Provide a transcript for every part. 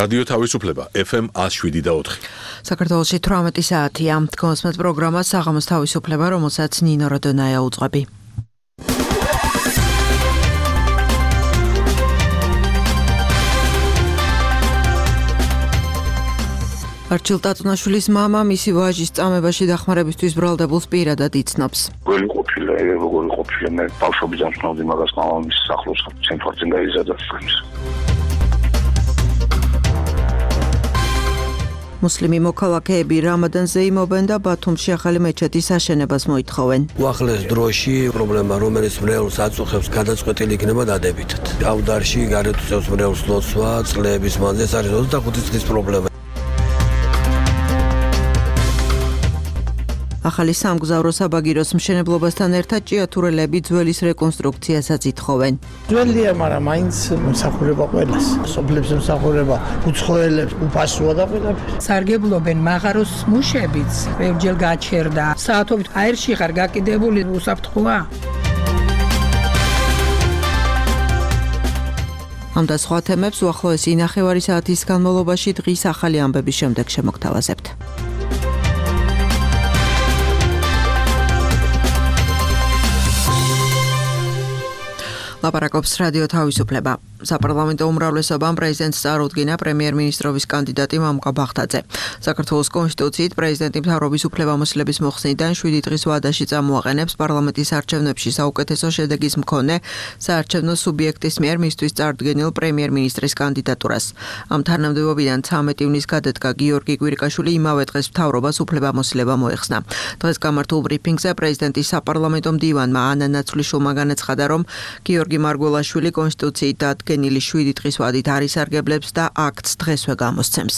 რადიო თავისუფლება FM 107.4. საქართველოში 18 საათია. კონსმეთ პროგრამა საღამოს თავისუფლება, რომელსაც ნინო როდონაია უძღვები. არჩილ ტატუნაშვილის მამა მისი ვაჟის წამებაში დახმარებისთვის ბრალდებულს პირადად იცნობს. როგორი ყოფილა მე ბავშვობიდან ვცნობდი მაგას მამამის სახლოს ცენტრალზე გაიზარდა წამს. მუსლიმი მოქალაქეები რამადანზე იმობენ და ბათუმში ახალი მეჩეთის აშენებას მოითხოვენ. უახლეს დროში პრობლემა, რომელიც მრევლს აწუხებს, გადაწყვეტილი იქნება დადებითად. ავდარში გარეთ უწევს მრევლს ლოცვა, წლების მანძილზე ეს არის 25 წლის პრობლემა. ახალი სამგზავრო საბაგიროს მშენებლობასთან ერთად ჭიათურელები ძველის რეკონსტრუქციასაც ითხოვენ. ძველია, მაგრამ მაინც მსახურება ყველას. სოფლებს მსახურება, უცხოელებს უფასოა და ყველაფერი. სარგებლობენ მაღაროს მუშებიც, ბევრჯერ გაჩერდა. საათობით აერში ხარ გაკიდებული, უსაფრთხოა. ამ და სხვა თემებს უახლოესი ნახევარი საათის განმავლობაში დღის ახალი ამბების შემდეგ შემოგთავაზებთ. ლაპარაკობს რადიო თავისუფლება. საპარლამენტო უმრავლესობამ პრეზიდენტს წარუდგინა პრემიერ-მინისტრობის კანდიდატი მამუკა ბახტაძე. საქართველოს კონსტიტუციით პრეზიდენტი მთავრობის უფლებამოსილების მოხსნიდან 7 დღის ვადაში წამოაყენებს პარლამენტის არჩევნებში საუკეთესო შედეგის მქონე საარჩევნო სუბიექტის მიერ მისთვის წარდგენილ პრემიერ-მინისტრის კანდიდატურას. ამ თანამდებობიდან 13 ივნის გადადგა გიორგი კვირიკაშვილი იმავე დღეს მთავრობას უფლებამოსილება მოეხსნა. დღეს გამართულ ბრიფინგზე პრეზიდენტის საპარლამენტო მდივანმა ანა ნაცვლიშვილმა განაცხადა, რომ გიორგი მარგველაშვილი კონსტიტუციით დადგენილი 7 დღის ვადით არ ისარგებლებს და აქტს დღესვე გამოსცემს.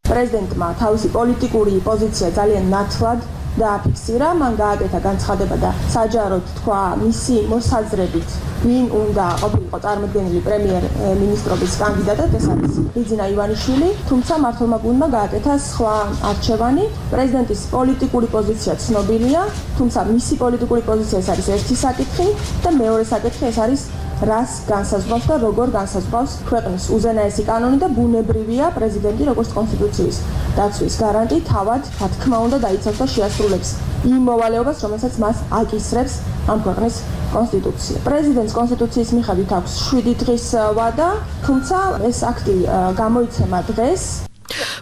პრეზიდენტმა თავისი პოლიტიკური პოზიცია ძალიან ნათლად დააფიქსირა, მან გააკეთა განცხადება და საჯაროდ თქვა მისი მოსაზრებით, ვინ უნდა ყოფილიყო წარმოდგენილი პრემიერ-მინისტრობის კანდიდატად, ეს არის ბიძინა ივანიშვილი, თუმცა მმართველმა გუნდმა გააკეთა სხვა არჩევანი. პრეზიდენტის პოლიტიკური პოზიცია ცნობილია, თუმცა მისი პოლიტიკური პოზიცია ეს არის ერთი საკითხი და მეორე საკითხი ეს არის რას განსაზღვრავს და როგორ განსაზღვრავს ქვეყნის უზენაესი კანონი და ბუნებრივია პრეზიდენტი როგორც კონსტიტუციის დაცვის გარანტი თავად, რა თქმა უნდა, დაიცავს და შეასრულებს იმ მოვალეობას, რომელსაც მას აკისრებს ამ ქვეყნის კონსტიტუცია. პრეზიდენტს კონსტიტუციის მიხედვით აქვს 7 დღის ვადა, თუმცა ეს აქტი გამოიცემა დღეს.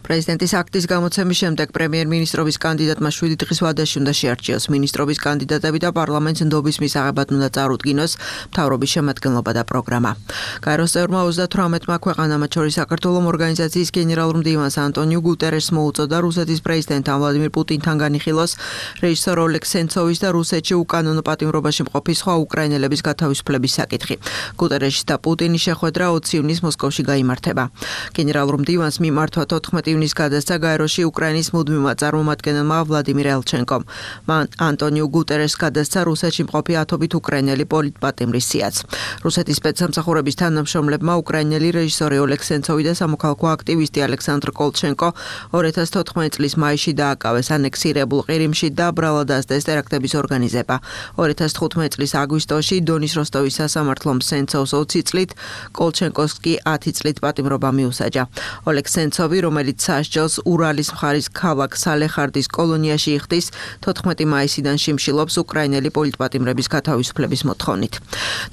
პრეზიდენტის აქტის გამოცემის შემდეგ პრემიერ-მინისტრობის კანდიდატმა 7 დღის ვადაში უნდა შეარჩიოს მინისტრობის კანდიდატები და პარლამენტს ნდობის მისაღებად უნდა წარუდგინოს მთავრობის შემადგენლობა და პროგრამა. გაეროს წევრმა 38-მა ქვეყანამ, მათ შორის საქართველოს ორგანიზაციის გენერალურ მდივანს ანტონიუ გუტერესს მოუწოდა რუსეთის პრეზიდენტთან ვლადიმირ პუტინთან განიხილოს რეჟისორ ოლეგ სენცოვის და რუსეთში უკანონო პატიმრობაში მყოფი სხვა უკრაინელების გათავისუფლების საკითხი. გუტერესის და პუტინის შეხვედრა 20 ივნის მოსკოვში გაიმართება. გენერალურ მდივანს მიმართვა 14 ივნის გადასცა გაეროში უკრაინის მუდმივმა წარმომადგენელმა ვლადიმირ ელჩენკომ. მან ანტონიუ გუტერესს გადასცა რუსეთში მყოფი ათობით უკრაინელი პოლიტპატიმრის სიაც. რუსეთის სპეცსამსახურების თანამშრომლებმა უკრაინელი რეჟისორი ოლეგ სენცოვი და სამოქალაქო აქტივისტი ალექსანდრ კოლჩენკო 2014 წლის მაისში დააკავეს ანექსირებულ ყირიმში და ბრალად დასდეს ტერაქტების ორგანიზება. 2015 წლის აგვისტოში დონის როსტოვის სასამართლომ სენცოვს 20 წლით, კოლჩენკოს კი 10 წლით პატიმრობა მიუსაჯა. ოლეგ სენცოვი, რომელიც სასჯელს ურალის მხარის ქალაქ სალეხარდის კოლონიაში იხდის, 14 მაისიდან შიმშილობს უკრაინელი პოლიტპატიმრების გათავისუფლების მოთხოვნით.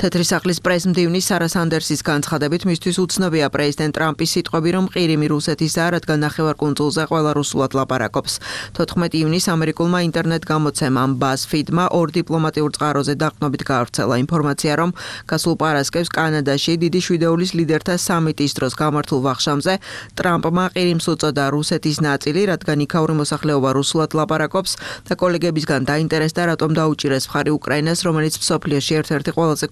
თეთრი სახლის პრესმდივნის სარა სანდერსის განცხადებით, მისთვის უცნობია პრეზიდენტ ტრამპის სიტყვები, რომ ყირიმი რუსეთისაა, რადგან ნახევარკუნძულზე ყველა რუსულად ლაპარაკობს. 14 ივნის ამერიკულმა ინტერნეტ გამოცემამ BuzzFeed-მა ორ დიპლომატიურ წყაროზე დაყრდნობით გაავრცელა ინფორმაცია, რომ გასულ პარასკევს კანადაში დიდი შვიდეულის ლიდერთა სამიტის დროს გამართულ ვახშამზე ტრამპმა ყირიმს უწოდა რუსეთის ნაწილი, რადგან იქაური მოსახლეობა რუსულად ლაპარაკობს და კოლეგებისგან დაინტერესდა, რატომ დაუჭირეს მხარი უკრაინას, რომელიც მსოფლიოში ერთ-ერთი ყველაზე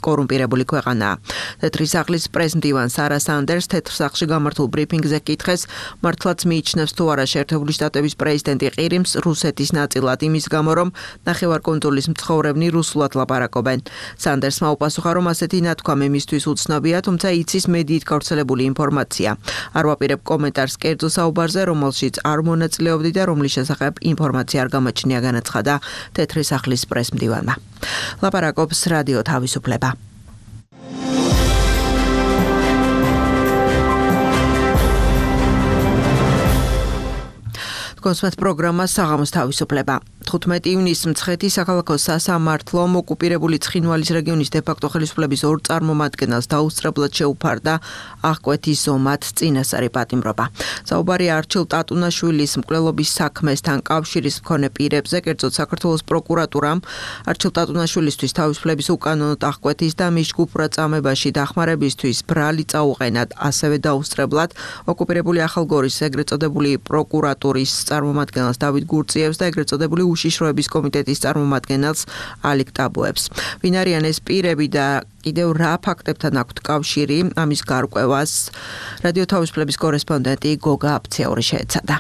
კორუმპირებული ქვეყანაა. თეთრი სახლის პრესმდივან სარა სანდერს თეთრ სახლში გამართულ ბრიფინგზე კითხეს, მართლაც მიიჩნევს თუ არა შეერთებული შტატების პრეზიდენტი ყირიმს რუსეთის ნაწილად იმის გამო, რომ ნახევარკუნძულის მცხოვრებნი რუსულად ლაპარაკობენ. სანდერსმა უპასუხა, რომ ასეთი ნათქვამი მისთვის უცნობია, თუმცა იცის მედიით გავრცელებული ინფორმაცია. არ ვაპირებ კომენტარს კერძო საუბარზე, რომელშიც არ მონაწილეობდი და რომლის შესახებ ინფორმაცია არ გამოჩნია, განაცხადა თეთრი სახლის პრესმდივანმა. ლაპარაკობს რადიო თავისუფლება. გასვათ პროგრამა საღამოს თავისუფლება. 15 ივნისს მცხეთის საქალაქო სასამართლომ ოკუპირებული ცხინვალის რეგიონის დე-ფაქტო ხელისუფლების ორ წარმომადგენელს დაუსწრებლად შეუფარდა აღკვეთის ზომად წინასწარი პატიმრობა. საუბარი არჩილ ტატუნაშვილის მკვლელობის საქმესთან კავშირის მქონე პირებზე, კერძოდ საქართველოს პროკურატურამ არჩილ ტატუნაშვილისთვის თავისუფლების უკანონოდ აღკვეთის და მის ჯგუფურად წამებაში დახმარებისთვის ბრალი წაუყენად, ასევე დაუსწრებლად ოკუპირებული ახალგორის ეგრეთ წოდებული პროკურატურის წარმომადგენელს დავით გურწიევს და ეგრეთ წოდებული უშიშროების კომიტეტის წარმომადგენელს ალიკ ტაბუებს. ვინ არიან ეს პირები და კიდევ რა ფაქტებთან აქვთ კავშირი, ამის გარკვევას რადიო თავისუფლების კორესპონდენტი გოგა აფციური შეეცადა.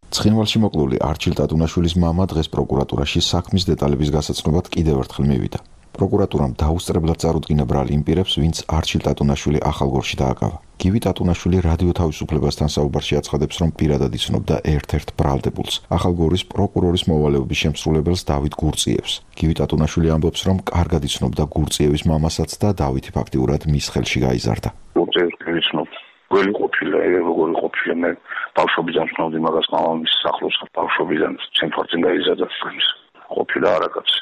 ცხინვალში მოკლული არჩილ ტატუნაშვილის მამა დღეს პროკურატურაში საქმის დეტალების გასაცნობად კიდევ ერთხელ მივიდა. პროკურატურამ დაუსწრებლად წარუდგინა ბრალი იმ პირებს, ვინც არჩილ ტატუნაშვილი ახალგორში დააკავა. გივი ტატუნაშვილი რადიო თავისუფლებასთან საუბარში აცხადებს, რომ პირადად იცნობდა ერთ-ერთ ბრალდებულს, ახალგორის პროკურორის მოვალეობის შემსრულებელს დავით გურწიევს. გივი ტატუნაშვილი ამბობს, რომ კარგად იცნობდა გურწიევის მამასაც და დავითი ფაქტიურად მის ხელში გაიზარდა. გურწიევს ვიცნობ. გველი ყოფილა, როგორი ყოფილა, მე ბავშვობიდან ვცნობდი მაგას მამამის სახლოს, ბავშვობიდან ცენტრალurban გაიზარდა ფილმს. ყოფილა არაკაცი.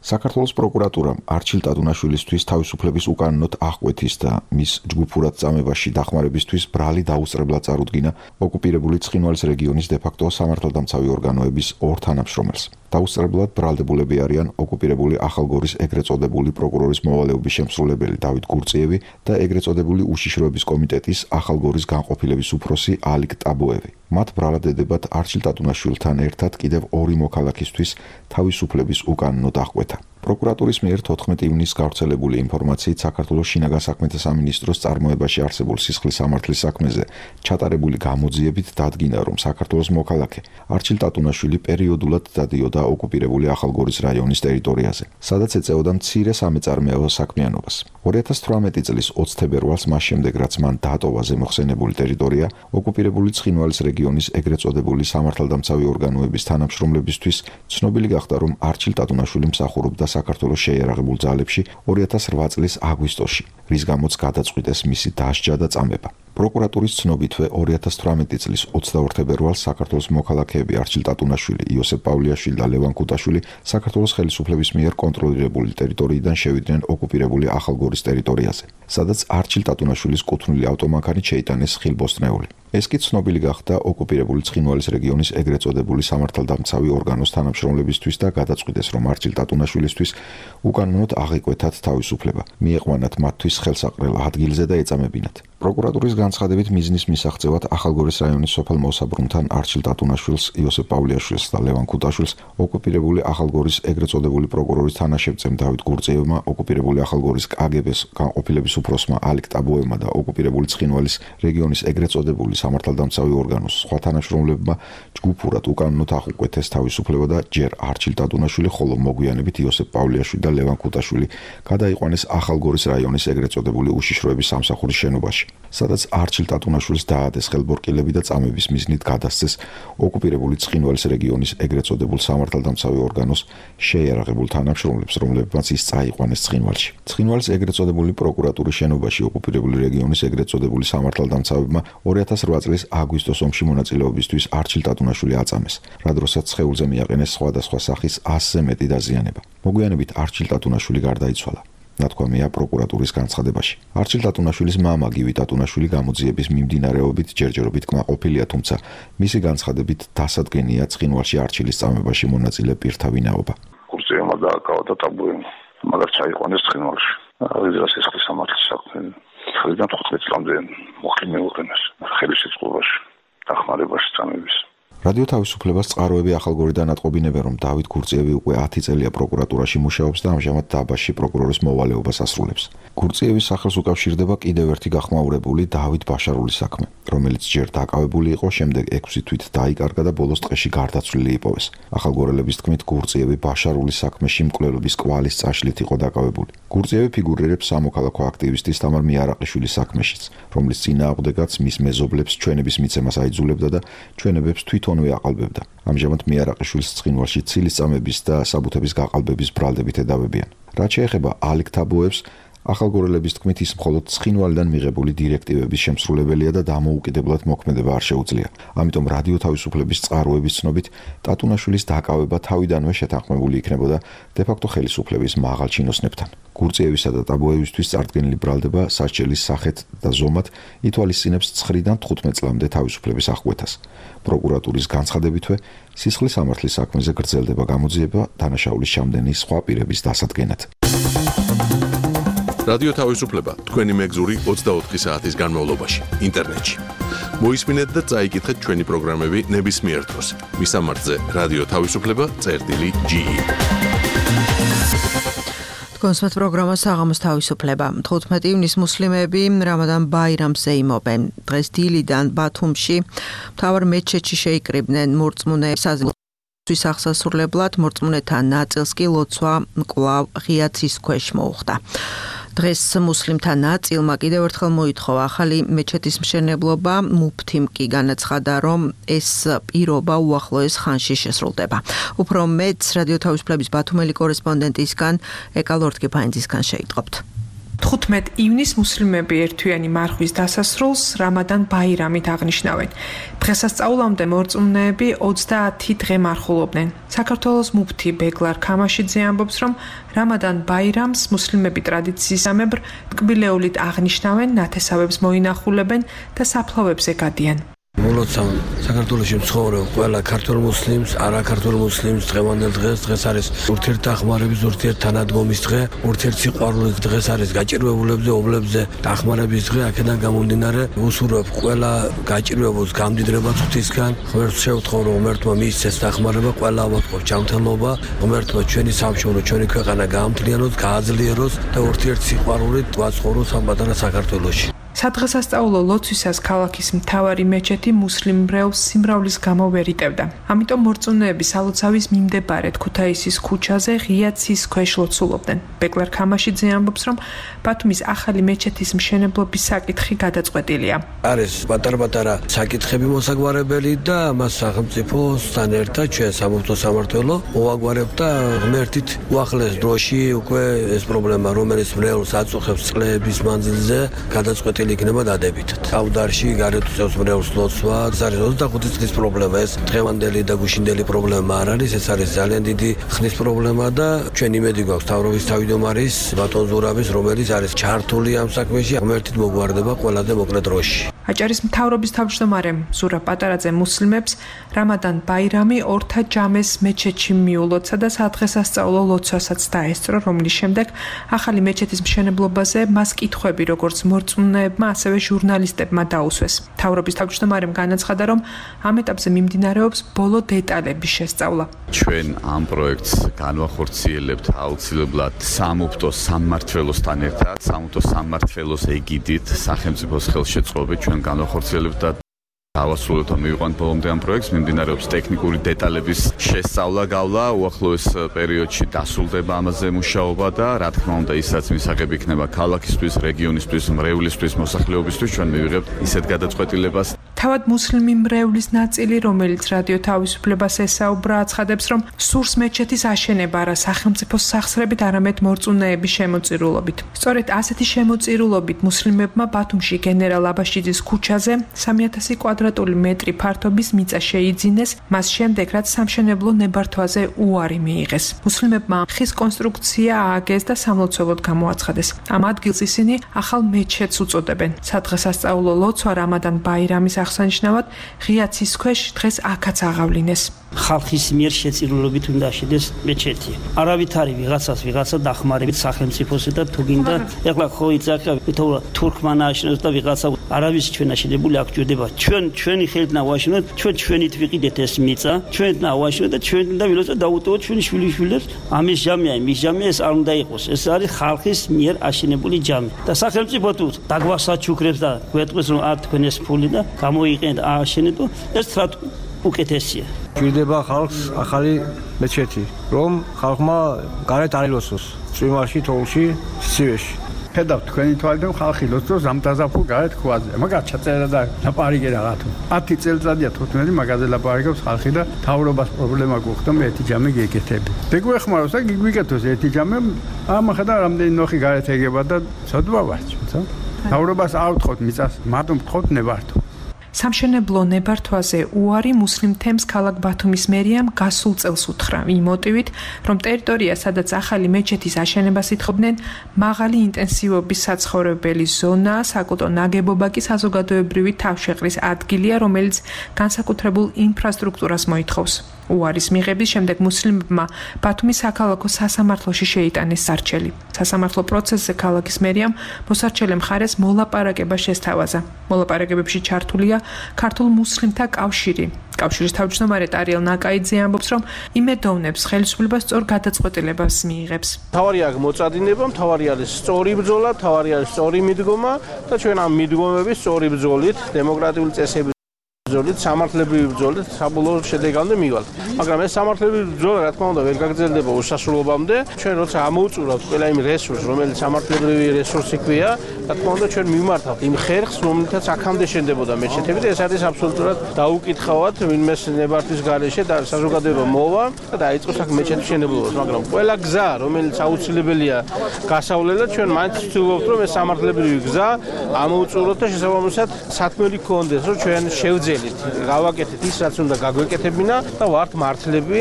საქართველოს პროკურატურამ არჩილ ტატუნაშვილისთვის თავისუფლების უკანონოდ აღკვეთის და მის ჯგუფურად წამებაში დახმარებისთვის ბრალი დაუსწრებლად წარუდგინა ოკუპირებული ცხინვალის რეგიონის დე-ფაქტო სამართალდამცავი ორგანოების ორ თანამშრომელს. დაუსწრებლად ბრალდებულები არიან ოკუპირებული ახალგორის ეგრეთ წოდებული პროკურორის მოვალეობის შემსრულებელი დავით გურწიევი და ეგრეთ წოდებული უშიშროების კომიტეტის ახალგორის განყოფილების უფროსი ალიკ ტაბუევი. მათ ბრალად ედებათ არჩილ ტატუნაშვილთან ერთად კიდევ ორი მოქალაქისთვის თავისუფლების უკანონოდ აღკვეთა. პროკურატურის მიერ 14 ივნისს გავრცელებული ინფორმაციით საქართველოს შინაგან საქმეთა სამინისტროს წარმოებაში არსებულ სისხლის სამართლის საქმეზე ჩატარებული გამოძიებით დადგინა, რომ საქართველოს მოქალაქე არჩილ ტატუნაშვილი პერიოდულად დადიოდა ოკუპირებული ახალგორის რაიონის ტერიტორიაზე, სადაც ეწეოდა მცირე სამეწარმეო საქმიანობას. 2018 წლის 20 თებერვალს მას შემდეგ, რაც მან დაატოვა ზემოხსენებული ტერიტორია, ოკუპირებული ცხინვალის რეგიონის ეგრეთ წოდებული სამართალდამცავი ორგანოების თანამშრომლებისთვის ცნობილი გახდა, რომ არჩილ ტატუნაშვილი მსახურობდა საქართველოს შეიარაღებულ ძალებში 2008 წლის აგვისტოში, რის გამოც გადაწყვიტეს მისი დასჯა და წამება. პროკურატურის ცნობითვე 2018 წლის 22 თებერვალს საქართველოს მოქალაქეები არჩილ ტატუნაშვილი, იოსებ პავლიაშვილი და ლევან კუტაშვილი საქართველოს ხელისუფლების მიერ კონტროლირებული ტერიტორიიდან შევიდნენ ოკუპირებული ახალგორის ტერიტორიაზე, სადაც არჩილ ტატუნაშვილის კუთვნილი ავტომანქანით შეიტანეს ხილბოსტნეული. ეს კი ცნობილი გახდა ოკუპირებული ცხინვალის რეგიონის ეგრეთ წოდებული სამართალდამცავი ორგანოს თანამშრომლებისთვის და გადაწყვიტეს, რომ არჩილ ტატუნაშვილისთვის უკანონოდ აღიკვეთათ თავისუფლება, მieყვანათ მათთვის ხელსაყრელ ადგილზე და ეწამებინათ. პროკურატურის განცხადებით მიზნის მისაღწევად ახალგორის რაიონის სოფელ მოსაბრუნთან არჩილ ტატუნაშვილს, იოსებ პავლიაშვილს და ლევან კუტაშვილს ოკუპირებული ახალგორის ეგრეთ წოდებული პროკურორის თანაშემწემ დავით გურწიევმა, ოკუპირებული ახალგორის კგბ-ს განყოფილების უფროსმა ალიკ ტაბუევმა და ოკუპირებული ცხინვალის რეგიონის ეგრეთ წოდებული სამართალდამცავი ორგანოს სხვა თანამშრომლებმა ჯგუფურად უკანონოდ აღუკვეთეს თავისუფლება და ჯერ არჩილ ტატუნაშვილი, ხოლო მოგვიანებით იოსებ პავლიაშვილი და ლევან კუტაშვილი გადაიყვანეს ახალგორის რაიონის ეგრეთ წოდებული უშიშროების სამსახურის შენობაში, სადაც არჩილ ტატუნაშვილს დაადეს ხელბორკილები და წამების მიზნით გადასცეს ოკუპირებული ცხინვალის რეგიონის ეგრეთ წოდებულ სამართალდამცავი ორგანოს შეიარაღებულ თანამშრომლებს, რომლებმაც ის წაიყვანეს ცხინვალში. ცხინვალის ეგრეთ წოდებული პროკურატურის შენობაში ოკუპირებული რეგიონის ეგრეთ წოდებული სამართალდამცავებმა 2008 წლის აგვისტოს ომში მონაწილეობისთვის არჩილ ტატუნაშვილი აწამეს, რა დროსაც სხეულზე მიაყენეს სხვადასხვა სახის 100-ზე მეტი დაზიანება. მოგვიანებით არჩილ ტატუნაშვილი გარდაიცვალა. ნათქვამია პროკურატურის განცხადებაში. არჩილ ტატუნაშვილის მამა გივი ტატუნაშვილი გამოძიების მიმდინარეობით ჯერჯერობით კმაყოფილია, თუმცა მისი განცხადებით დასადგენია ცხინვალში არჩილის წამებაში მონაწილე პირთა ვინაობა. გურწიევმა დააკავა და ტაბუევმა მაგას ჩაიყვანეს ცხინვალში. აღიზრდა სისხლის სამართლის საქმე. 15 წლამდე მოხდი მეუღენეს ხელისუფლებაში დახმარებაში წამების. რადიო თავისუფლებას წყაროები ახალგორიდან ატყობინებენ, რომ დავით გურწიევი უკვე 10 წელია პროკურატურაში მუშაობს და ამჟამად დაბაში პროკურორის მოვალეობას ასრულებს. გურწიევის სახელს უკავშირდება კიდევ ერთი გახმაურებული დავით ბაშარულის საქმე, რომელიც ჯერ დაკავებული იყო, შემდეგ 6 თვით დაიკარგა და ბოლოს ტყეში გარდაცვლილი იპოვეს. ახალგორელების თქმით, გურწიევი ბაშარულის საქმეში მკვლელობის კვალის წაშლით იყო დაკავებული. გურწიევი ფიგურირებს სამოქალაქო აქტივისტის თამარ მიარაყიშვილის საქმეშიც, რომლის წინააღმდეგაც მის მეზობლებს ჩვენების მიცემას აიძულებდა და ჩვენებებს თვითონვე აყალბებდა. ამჟამად მიარაყიშვილს ცხინვალში ცილის წამების და საბუთების გაყალბების ბრალდებით ედავებიან. რაც შეეხება ალიკ ტაბუევს, ახალგორელების თქმით ის მხოლოდ ცხინვალიდან მიღებული დირექტივების შემსრულებელია და დამოუკიდებლად მოქმედება არ შეუძლია. ამიტომ რადიო თავისუფლების წყაროების ცნობით ტატუნაშვილის დაკავება თავიდანვე შეთანხმებული იქნებოდა დე-ფაქტო ხელისუფლების მაღალ ჩინოსნებთან. გურწიევისა და ტაბუევისთვის წარდგენილი ბრალდება სასჯელის სახეთ და ზომად ითვალისწინებს 9-დან 15 წლამდე თავისუფლების აღკვეთას. პროკურატურის განცხადებითვე სისხლის სამართლის საქმეზე გრძელდება გამოძიება დანაშაულის ჩამდენი სხვა პირების დასადგენად. რადიო თავისუფლება თქვენი მეგზური 24 საათის განმავლობაში ინტერნეტში. მოისმინეთ და წაიკითხეთ ჩვენი პროგრამები ნებისმიერ დროს. მისამართზე რადიო თავისუფლება.ge. კონსმეთ პროგრამა საღამოს თავისუფლება. 15 ივნისს მუსლიმები რამადან ბაირამს ეიმობენ. დღეს დილიდან ბათუმში მთავარ მეჩეთში შეიკრიბნენ მორწმუნეებს საზეიმოს აღსასრულებლად, მორწმუნეთა ნაწილს კი ლოცვა კვლავ ღია ცის ქვეშ მოუხდა. დღეს მუსლიმთა ნაწილმა კიდევ ერთხელ მოითხოვა ახალი მეჩეთის მშენებლობა, მუფთიმ კი განაცხადა, რომ ეს პირობა უახლოეს ხანში შესრულდება. უფრო მეტს რადიო თავისუფლების ბათუმელი კორესპონდენტისგან ეკალორთკიფაინძისგან შეიტყობთ. 15 ივნისს მუსლიმები ერთვიანი მარხვის დასასრულს რამადან ბაირამით აღნიშნავენ. დღესასწაულამდე მორწმუნეები 30 დღე მარხულობდნენ. საქართველოს მუფთი ბეგლარ ქამაშიძე ამბობს, რომ რამადან ბაირამს მუსლიმები ტრადიციისამებრ ტკბილეულით აღნიშნავენ, ნათესავებს მოინახულებენ და საფლავებზე გადიან. მოლოცავ საქართველოში მცხოვრებ ყველა ქართულ მუსლიმს, არაქართულ მუსლიმს დღევანდელ დღეს არის ურთიერთდახმარების, ურთიერთთანადგომის დღე, ურთიერთსიყვარულის დღეს არის გაჭირვებულებზე, ობლებზე დახმარების დღე. აქედან გამომდინარე უსურვებ ყველა გაჭირვებულს გამდიდრებას ღვთისგან. ღმერთს შევთხოვ, რომ ღმერთმა მიისცეს დახმარება, ყველა ავატყობ ჯანმრთელობა, ღმერთმა ჩვენი სამშობლო, ჩვენი ქვეყანა გაამთლიანოს, გააძლიეროს და ურთიერთსიყვარულით ვაცხოვროთ ამ პატარა საქართველოში. სადღესასწაულო ლოცვისას ქალაქის მთავარი მეჩეთი მუსლიმ მრევლს სიმრავლის გამო ვერ იტევდა. ამიტომ მორწმუნეები სალოცავის მიმდებარედ ქუთაისის ქუჩაზე ღია ცის ქვეშ ლოცულობდნენ. ბეგლარ ქამაშიძე ამბობს, რომ ბათუმის ახალი მეჩეთის მშენებლობის საკითხი გადაწყვეტილია. არის პატარ-პატარა საკითხები მოსაგვარებელი და მას სახელმწიფოსთან ერთად ჩვენ სამღვთო სამმართველო მოვაგვარებთ და ღმერთით უახლეს დროში უკვე ეს პრობლემა, რომელიც მრევლს აწუხებს წლების მანძილზე, გადაწყვეტილი იქნება დადებითად. ავდარში გარეთ უწევს მრევლს ლოცვა, ეს არის 25 წლის პრობლემა, ეს დღევანდელი და გუშინდელი პრობლემა არ არის, ეს არის ძალიან დიდი ხნის პრობლემა და ჩვენ იმედი გვაქვს მთავრობის თავმჯდომარის ბატონ ზურაბის, რომელიც არის ჩართული ამ საქმეში, ღმერთით მოგვარდება ყველაზე მოკლე დროში. აჭარის მთავრობის თავმჯდომარემ ზურაბ პატარაძე მუსლიმებს რამადან ბაირამი ორთა ჯამეს მეჩეთში მიულოცა და სადღესასწაულო ლოცვასაც დაესწრო, რომლის შემდეგ ახალი მეჩეთის მშენებლობაზე მას კითხვები როგორც მორწმუნეებმა, ასევე ჟურნალისტებმა დაუსვეს. მთავრობის თავმჯდომარემ განაცხადა, რომ ამ ეტაპზე მიმდინარეობს ბოლო დეტალების შესწავლა. ჩვენ ამ პროექტს განვახორციელებთ აუცილებლად სამუფთო სამმართველოსთან ერთად, სამუფთო სამმართველოს ეგიდით, სახელმწიფოს ხელშეწყობით ჩვენ განვახორციელებთ და დავასრულოთ ამ მივიყვანთ ბოლომდე ამ პროექტს, მიმდინარეობს ტექნიკური დეტალების შესწავლა, გავლა, უახლოეს პერიოდში დასრულდება ამაზე მუშაობა და რა თქმა უნდა ისაც მისაღები იქნება ქალაქისთვის, რეგიონისთვის, მრევლისთვის, მოსახლეობისთვის, ჩვენ მივიღებთ ისეთ გადაწყვეტილებას. თავად მუსლიმი მრევლის ნაწილი, რომელიც რადიო თავისუფლებას ესაუბრა, აცხადებს, რომ სურს მეჩეთის აშენება არა სახელმწიფოს სახსრებით, არამედ მორწმუნეების შემოწირულობით. სწორედ ასეთი შემოწირულობით მუსლიმებმა ბათუმში გენერალ აბაშიძის ქუჩაზე 3000 კვადრატული მეტრი ფართობის მიწა შეიძინეს, მას შემდეგ რაც სამშენებლო ნებართვაზე უარი მიიღეს. მუსლიმებმა ხის კონსტრუქცია ააგეს და სამლოცველოდ გამოაცხადეს. ამ ადგილს ისინი ახალ მეჩეთს უწოდებენ. სადღესასწაულო ლოცვა რამადან ბაირამის აღსანიშნავად ღია ცის ქვეშ დღეს აქაც აღავლინეს. ხალხის მიერ შეწირულობით უნდა აშენდეს მეჩეთი. არავით არის ვიღაცა დახმარებით სახელმწიფოსა და თუ გინდა ეხლა ხო იცახა თურქმანა აშენებს და ვიღაცა არავის ჩვენ აშენებული აქ ჯდება. ჩვენი ხელით ნავაშენოთ, ჩვენით ვიყიდეთ ეს მიწა, ჩვენით ნავაშენოთ და ჩვენ უნდა ვილოცოთ და დაუტოვოთ ჩვენი შვილიშვილებს. ამის ჯამია, იმის ჯამია, ეს არ უნდა იყოს. ეს არის ხალხის მიერ აშენებული ჯამი. და სახელმწიფო თუ დაგვასაჩუქრებს და გვეტყვის რომ არ თქვენ ეს ფული და გამოიყენეთ აშენეთო, ეს რა უკეთესია. გვირდება ხალხს ახალი მეჩეთი, რომ ხალხმა გარეთ არ ილოცოს, წვიმაში, თოვლში, სიცივეში. ხედავთ თქვენი თვალიდან ხალხი ლოცავს ზამთაზაფხულ გარეთ ქვაზე. მაგათ ჩაწერა და ლაპარაკი რაღაცა. 10 წელიწადია 15 მაგაზე ლაპარაკობს ხალხი და თავრობას პრობლემა გვხდა მე ერთი ჯამე გეკეთები. დეგვეხმაროს და გიგვითოს ერთი ჯამე ამახა და რამდენი ნოხი გარეთ ეგება და ცოდვა ვარ თუმცა თავრობას არ ვთხოვთ მიწას მარტო ვთხოვთ ნებართვა. სამშენებლო ნებართვაზე უარი მუსლიმ თემს ქალაქ ბათუმის მერიამ გასულ წელს უთხრა იმ მოტივით, რომ ტერიტორია, სადაც ახალი მეჩეთის აშენებას ითხოვდნენ, მაღალი ინტენსივობის საცხოვრებელი ზონაა, საკულტო ნაგებობა კი საზოგადოებრივი თავშეყრის ადგილია, რომელიც განსაკუთრებულ ინფრასტრუქტურას მოითხოვს. უარის მიღების შემდეგ მუსლიმებმა ბათუმის საქალაქო სასამართლოში შეიტანეს სარჩელი. სასამართლო პროცესზე ქალაქის მერიამ მოსარჩელე მხარეს მოლაპარაკება შესთავაზა. მოლაპარაკებებში ჩართულია ქართულ მუსლიმთა კავშირი. კავშირის თავმჯდომარე ტარიელ ნაკაიძე ამბობს, რომ იმედოვნებს ხელისუფლება სწორ გადაწყვეტილებას მიიღებს. თავარია მოწადინება, თავარი არის სწორი ბრძოლა, თავარი არის სწორი მიდგომა და ჩვენ ამ მიდგომების სწორი ბრძოლით დემოკრატიული წესების ბრძოლით, სამართლებრივი ბრძოლით საბოლოო შედეგამდე მივალთ. მაგრამ ეს სამართლებრივი ბრძოლა, რა თქმა უნდა, ვერ გაგრძელდება უსასრულობამდე. ჩვენ როცა ამოუწურავთ ყველა იმ რესურსს, რომელიც სამართლებრივი რესურსი ქვია, რა თქმა უნდა, ჩვენ მიმართავთ იმ ხერხს, რომელთაც აქამდე შენდებოდა მეჩეთები და ეს არის აბსოლუტურად დაუკითხავად, ვინმეს ნებართვის გარეშე და საზოგადოება მოვა და დაიწყოს აქ მეჩეთის მშენებლობას. მაგრამ ყველა გზა, რომელიც აუცილებელია გასავლელად, ჩვენ მაინც ვცდილობთ, რომ ეს სამართლებრივი გზა ამოუწუროთ და შესაბამისად სათქმელი გქონდეს, რომ ჩვენ შევძელით გავაკეთეთ ის, რაც უნდა გაგვეკეთებინა და ვართ მართლები.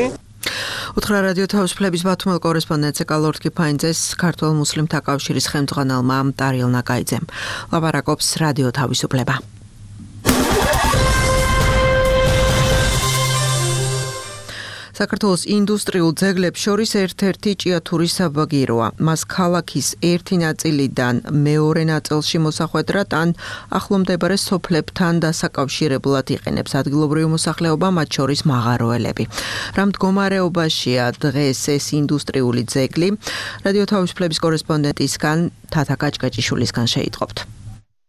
უთხრა რადიო თავისუფლების ბათუმელ კორესპონდენტზე კალორდ კიფაინძეს ქართულ მუსლიმთა კავშირის ხელმძღვანელმა ტარიელ ნაკაიძემ. ლაპარაკობს რადიო თავისუფლება. საქართველოს ინდუსტრიულ ძეგლებს შორის ერთ-ერთი ჭიათურის საბაგიროა. მას ქალაქის ერთი ნაწილიდან მეორე ნაწილში მოსახვედრად ან ახლომდებარე სოფლებთან დასაკავშირებლად იყენებს ადგილობრივი მოსახლეობა, მათ შორის მაღაროელები. რა მდგომარეობაშია დღეს ეს ინდუსტრიული ძეგლი? რადიო თავისუფლების კორესპონდენტისგან თათა კაჭკაჭიშვილისგან შეიტყობთ.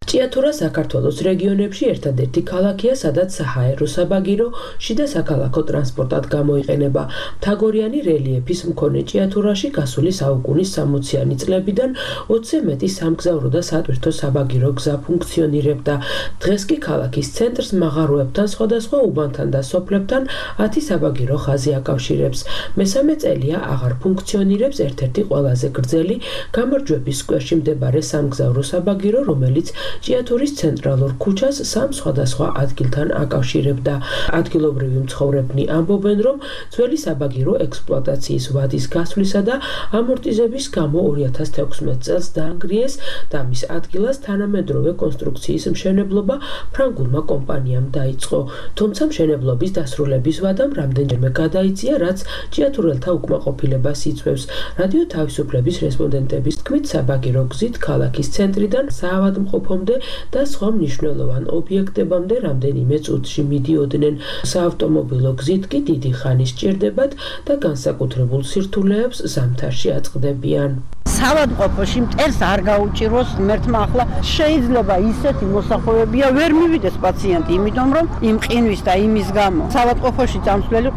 ჭიათურა საქართველოს რეგიონებში ერთადერთი ქალაქია, სადაც საჰაერო საბაგირო შიდა საქალაქო ტრანსპორტად გამოიყენება. მთაგორიანი რელიეფის მქონე ჭიათურაში გასული საუკუნის 60-იანი წლებიდან 20-ზე მეტი სამგზავრო და სატვირთო საბაგირო გზა ფუნქციონირებდა. დღეს კი ქალაქის ცენტრს მაღაროებთან, სხვადასხვა უბანთან და სოფლებთან 10 საბაგირო ხაზი აკავშირებს. მესამე წელია აღარ ფუნქციონირებს ერთ-ერთი ყველაზე გრძელი გამარჯვების სკვერში მდებარე სამგზავრო საბაგირო, რომელიც ჭიათურის ცენტრალურ ქუჩას სამ სხვადასხვა ადგილთან აკავშირებდა. ადგილობრივი მცხოვრებნი ამბობენ, რომ ძველი საბაგირო ექსპლუატაციის ვადის გასვლისა და ამორტიზების გამო 2016 წელს დაანგრიეს და მის ადგილას თანამედროვე კონსტრუქციის მშენებლობა ფრანგულმა კომპანიამ დაიწყო. თუმცა მშენებლობის დასრულების ვადამ რამდენჯერმე გადაიწია, რაც ჭიათურელთა უკმაყოფილებას იწვევს. რადიო თავისუფლების რესპონდენტების თქმით, საბაგირო გზით ქალაქის ცენტრიდან საავადმყოფო და სხვა მნიშვნელოვან ობიექტებამდე რამდენიმე წუთში მიდიოდნენ. საავტომობილო გზით კი დიდი ხანი სჭირდებათ და განსაკუთრებულ სირთულეებს ზამთარში აწყდებიან. საავადმყოფოში მტერს არ გაუჭიროს ღმერთმა, ახლა შეიძლება ისეთი მოსახვევებია ვერ მივიდეს პაციენტი, იმიტომ რომ იმ ყინვის და იმის გამო საავადმყოფოში წამსვლელი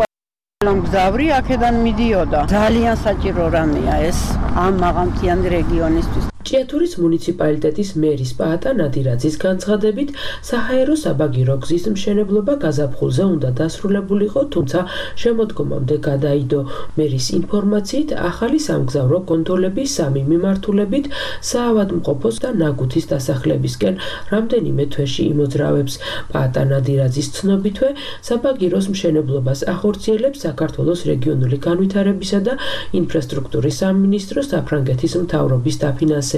მგზავრი აქედან მიდიოდა. ძალიან საჭირო რამეა ეს ამ მაღალმთიანი რეგიონისთვის. ჭიათურის მუნიციპალიტეტის მერის პაატა ნადირაძის განცხადებით, საჰაერო საბაგირო გზის მშენებლობა გაზაფხულზე უნდა დასრულებულიყო, თუმცა შემოდგომამდე გადაიდო. მერის ინფორმაციით, ახალი სამგზავრო კონტროლების 3 მიმართულებით საავადმყოფოს და ნაგუთის დასახლებისკენ რამდენიმე თვეში იმოძრავებს. პაატა ნადირაძის ცნობითვე, საბაგიროს მშენებლობას ახორციელებს საქართველოს რეგიონული განვითარებისა და ინფრასტრუქტურის სამინისტრო საფრანგეთის მთავრობის დაფინანსებით.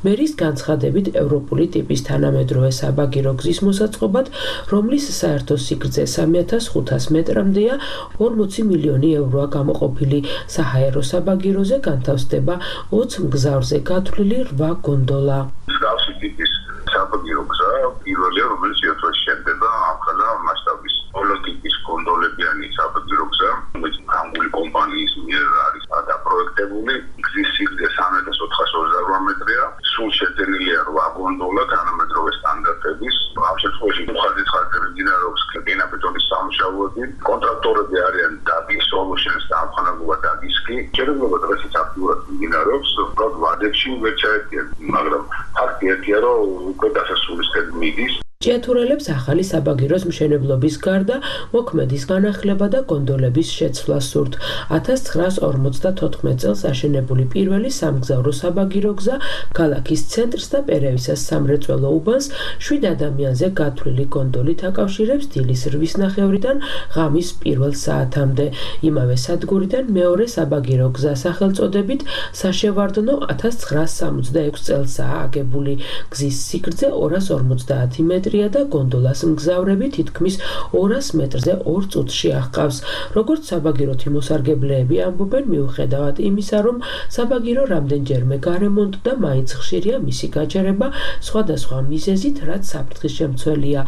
მერის განცხადებით, ევროპული ტიპის თანამედროვე საბაგირო გზის მოსაწყობად, რომლის საერთო სიგრძე 3500 მეტრამდეა, 40 მილიონი ევროა გამოყოფილი. საჰაერო საბაგიროზე განთავსდება 20 მგზავრზე გათვლილი 8 გონდოლა. მსგავსი ტიპის საბაგირო გზა პირველია, რომელიც ჭიათურაში შენდება ახლა მასშტაბის პოლიტიკის გონდოლებიანი საბაგირო გზა, რომელიც ფრანგული კომპანიის მიერ არის დაპროექტებული. გზის სიგრძე 3428 მეტრია, სულ შეძენილია 8 გონდოლა თანამედროვე სტანდარტების. ამ შემთხვევაში მხარდაჭერა მიმდინარეობს გენაბეტონის სამუშაოები. კონტრაქტორები არიან დაგის სოლუშენს და ამხანაგობა დაგისკი. შეიძლება დღესაც აქტიურად მიმდინარეობს, უბრალოდ ვადებში ვერ ჩაერთიან, მაგრამ ფაქტი ერთია, რომ უკვე დასასრულისკენ მიდის. ჭიათურელებს ახალი საბაგიროს მშენებლობის გარდა მოქმედის განახლება და გონდოლების შეცვლა სურთ. 1954 წელს აშენებული პირველი სამგზავრო საბაგირო გზა ქალაქის ცენტრს და პერევისას სამრეწველო უბანს 7 ადამიანზე გათვლილი გონდოლით აკავშირებს დილის 8 ნახევრიდან ღამის 1 საათამდე. იმავე სადგურიდან მეორე საბაგირო გზა სახელწოდებით საშევარდნო 1966 წელსაა აგებული. გზის სიგრძე 250 მეტრია და გონდოლას მგზავრები თითქმის 200 მეტრზე 2 წუთში აღყავს. როგორც საბაგიროთი მოსარგებლეები ამბობენ, მიუხედავად იმისა, რომ საბაგირო რამდენჯერმე გარემონტდა, მაინც ხშირია მისი გაჩერება სხვადასხვა მიზეზით, რაც საფრთხის შემცველია.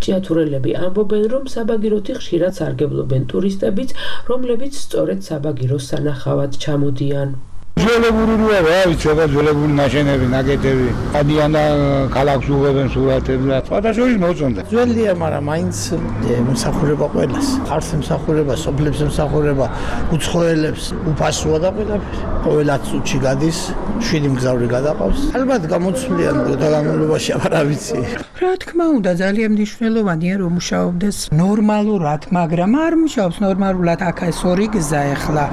ჭიათურელები ამბობენ, რომ საბაგიროთი ხშირად სარგებლობენ ტურისტებიც, რომლებიც სწორედ საბაგიროს სანახავად ჩამოდიან. ძველებურია რა ვიცი, ძველებური ნაშენები, ნაკეთები. ადიან და ქალაქს უღებენ სურათებს და სხვადასხვა მოწონდა. ძველია, მაგრამ მაინც მსახურება ყველას. ხარს მსახურება, სოფლებს მსახურება, უცხოელებს უფასოა და ყველა წუთში გადის, 7 მგზავრი გადაყავს. ალბათ გამოცვლიან დაგამოლობაში, არა ვიცი. რა თქმა უნდა, ძალიან მნიშვნელოვანია რომ მუშაობდეს ნორმალურად, მაგრამ არ მუშაობს ნორმალურად. აქ ეს ორი გზა ახლა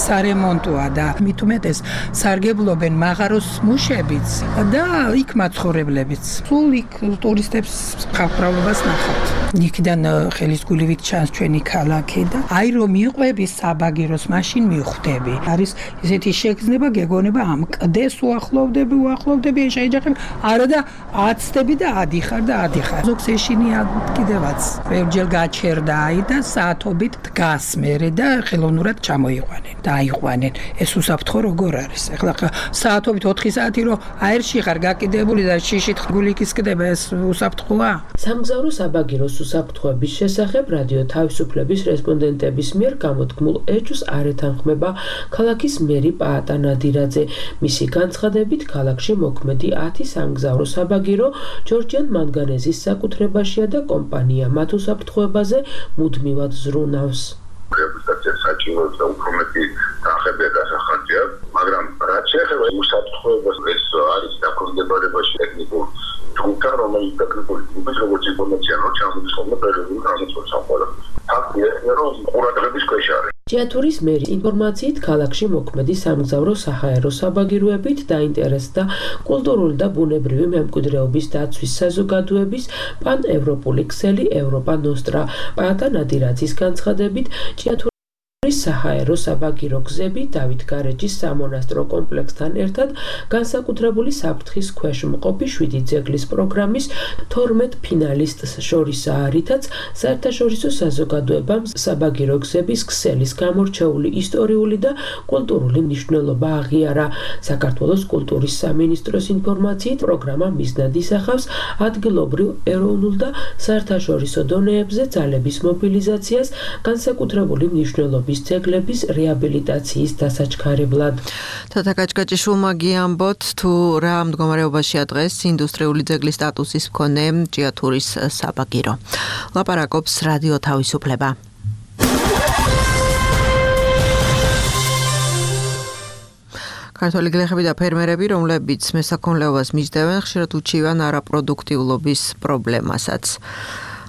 სარემონტოა და მithumetes სარგებლობენ მაღაროს მუშებიც და იქ მაცხოვრებლებიც. სულ იქ ტურისტებს ხალხმრავლობას ნახავთ. იქიდან ხელისგულივით ჩანს ჩვენი ქალაქი და აი რომ მიყვები საბაგიროს, მაშინ მიხვდები. არის ესეთი შეგრძნება, გეგონება ამ კლდეს უახლოვდები, შეეჯახებ, არა და აცდები და ადიხარ და ადიხარ. ზოგს ეშინია კიდევაც. ბევრჯერ გაჩერდა აი და საათობით დგას მერე და ხელოვნურად ჩამოიყვანენ და აიყვანენ. ეს უსაფრთხო როგორ არის? ეხლა საათობით 4 საათი რომ აერში ხარ გაკიდებული და შიშით გულიკისკდება, ეს უსაფრთხოა? სამგზავრო საბაგიროს უსაფრთხოების შესახებ რადიო თავისუფლების რესპონდენტების მიერ გამოთქმულ ეჭვს არ ეთანხმება ქალაქის მერი პაატა ნადირაძე. მისი განცხადებით, ქალაქში მოქმედი 10 სამგზავრო საბაგირო ჯორჯიან მანგანეზის საკუთრებაშია და კომპანია მათ უსაფრთხოებაზე მუდმივად ზრუნავს. საჭიროებს და უფრო მეტი თანხებია დასახარჯია, მაგრამ რაც შეეხება უსაფრთხოებას, ეს არის დაქვემდებარებაში ტექნიკურ ჯგუფთან, რომელიც ტექნიკური ჯგუფის როგორც ინფორმაცია რო ჩამოდის ხოლმე პერიოდულ განმავლობაში სამყაროს. ფაქტია, რომ ყურადღების ქვეშ არის. ჭიათურის მერის ინფორმაციით, ქალაქში მოქმედი სამგზავრო საჰაერო საბაგიროებით დაინტერესდა კულტურული და ბუნებრივი მემკვიდრეობის დაცვის საზოგადოების პან-ევროპული ქსელი ევროპა ნოსტრა. პაატა ნადირაძის განცხადებით, ჭიათურის საჰაერო საბაგირო გზები დავით გარეჯის სამონასტრო კომპლექსთან ერთად განსაკუთრებული საფრთხის ქვეშ მყოფი 7 ძეგლის პროგრამის 12 ფინალისტს შორისაა, რითაც საერთაშორისო საზოგადოებამ საბაგირო გზების ქსელის გამორჩეული ისტორიული და კულტურული მნიშვნელობა აღიარა. საქართველოს კულტურის სამინისტროს ინფორმაციით, პროგრამა მიზნად ისახავს ადგილობრივ, ეროვნულ და საერთაშორისო დონეებზე ძალების მობილიზაციას განსაკუთრებული მნიშვნელობის ძეგლების რეაბილიტაციის დასაჩქარებლად. თათა კაჭკაჭიშვილმა გიამბოთ, თუ რა მდგომარეობაშია დღეს ინდუსტრიული ძეგლის სტატუსის მქონე ჭიათურის საბაგირო. ლაპარაკობს რადიო თავისუფლება. ქართველი გლეხები და ფერმერები, რომლებიც მესაქონლეობას მისდევენ, ხშირად უჩივენ არაპროდუქტიულობის პრობლემასაც.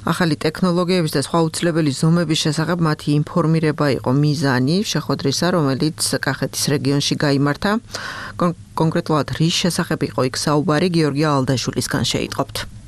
ახალი ტექნოლოგიების და სხვა უცვლებელი ზომების შესახებ მათი ინფორმირება იყო მიზანი შეხვედრისა, რომელიც კახეთის რეგიონში გაიმართა. კონკრეტულად რის შესახებ იყო იქ საუბარი, გიორგი ალდაშვილისგან შეიტყობთ.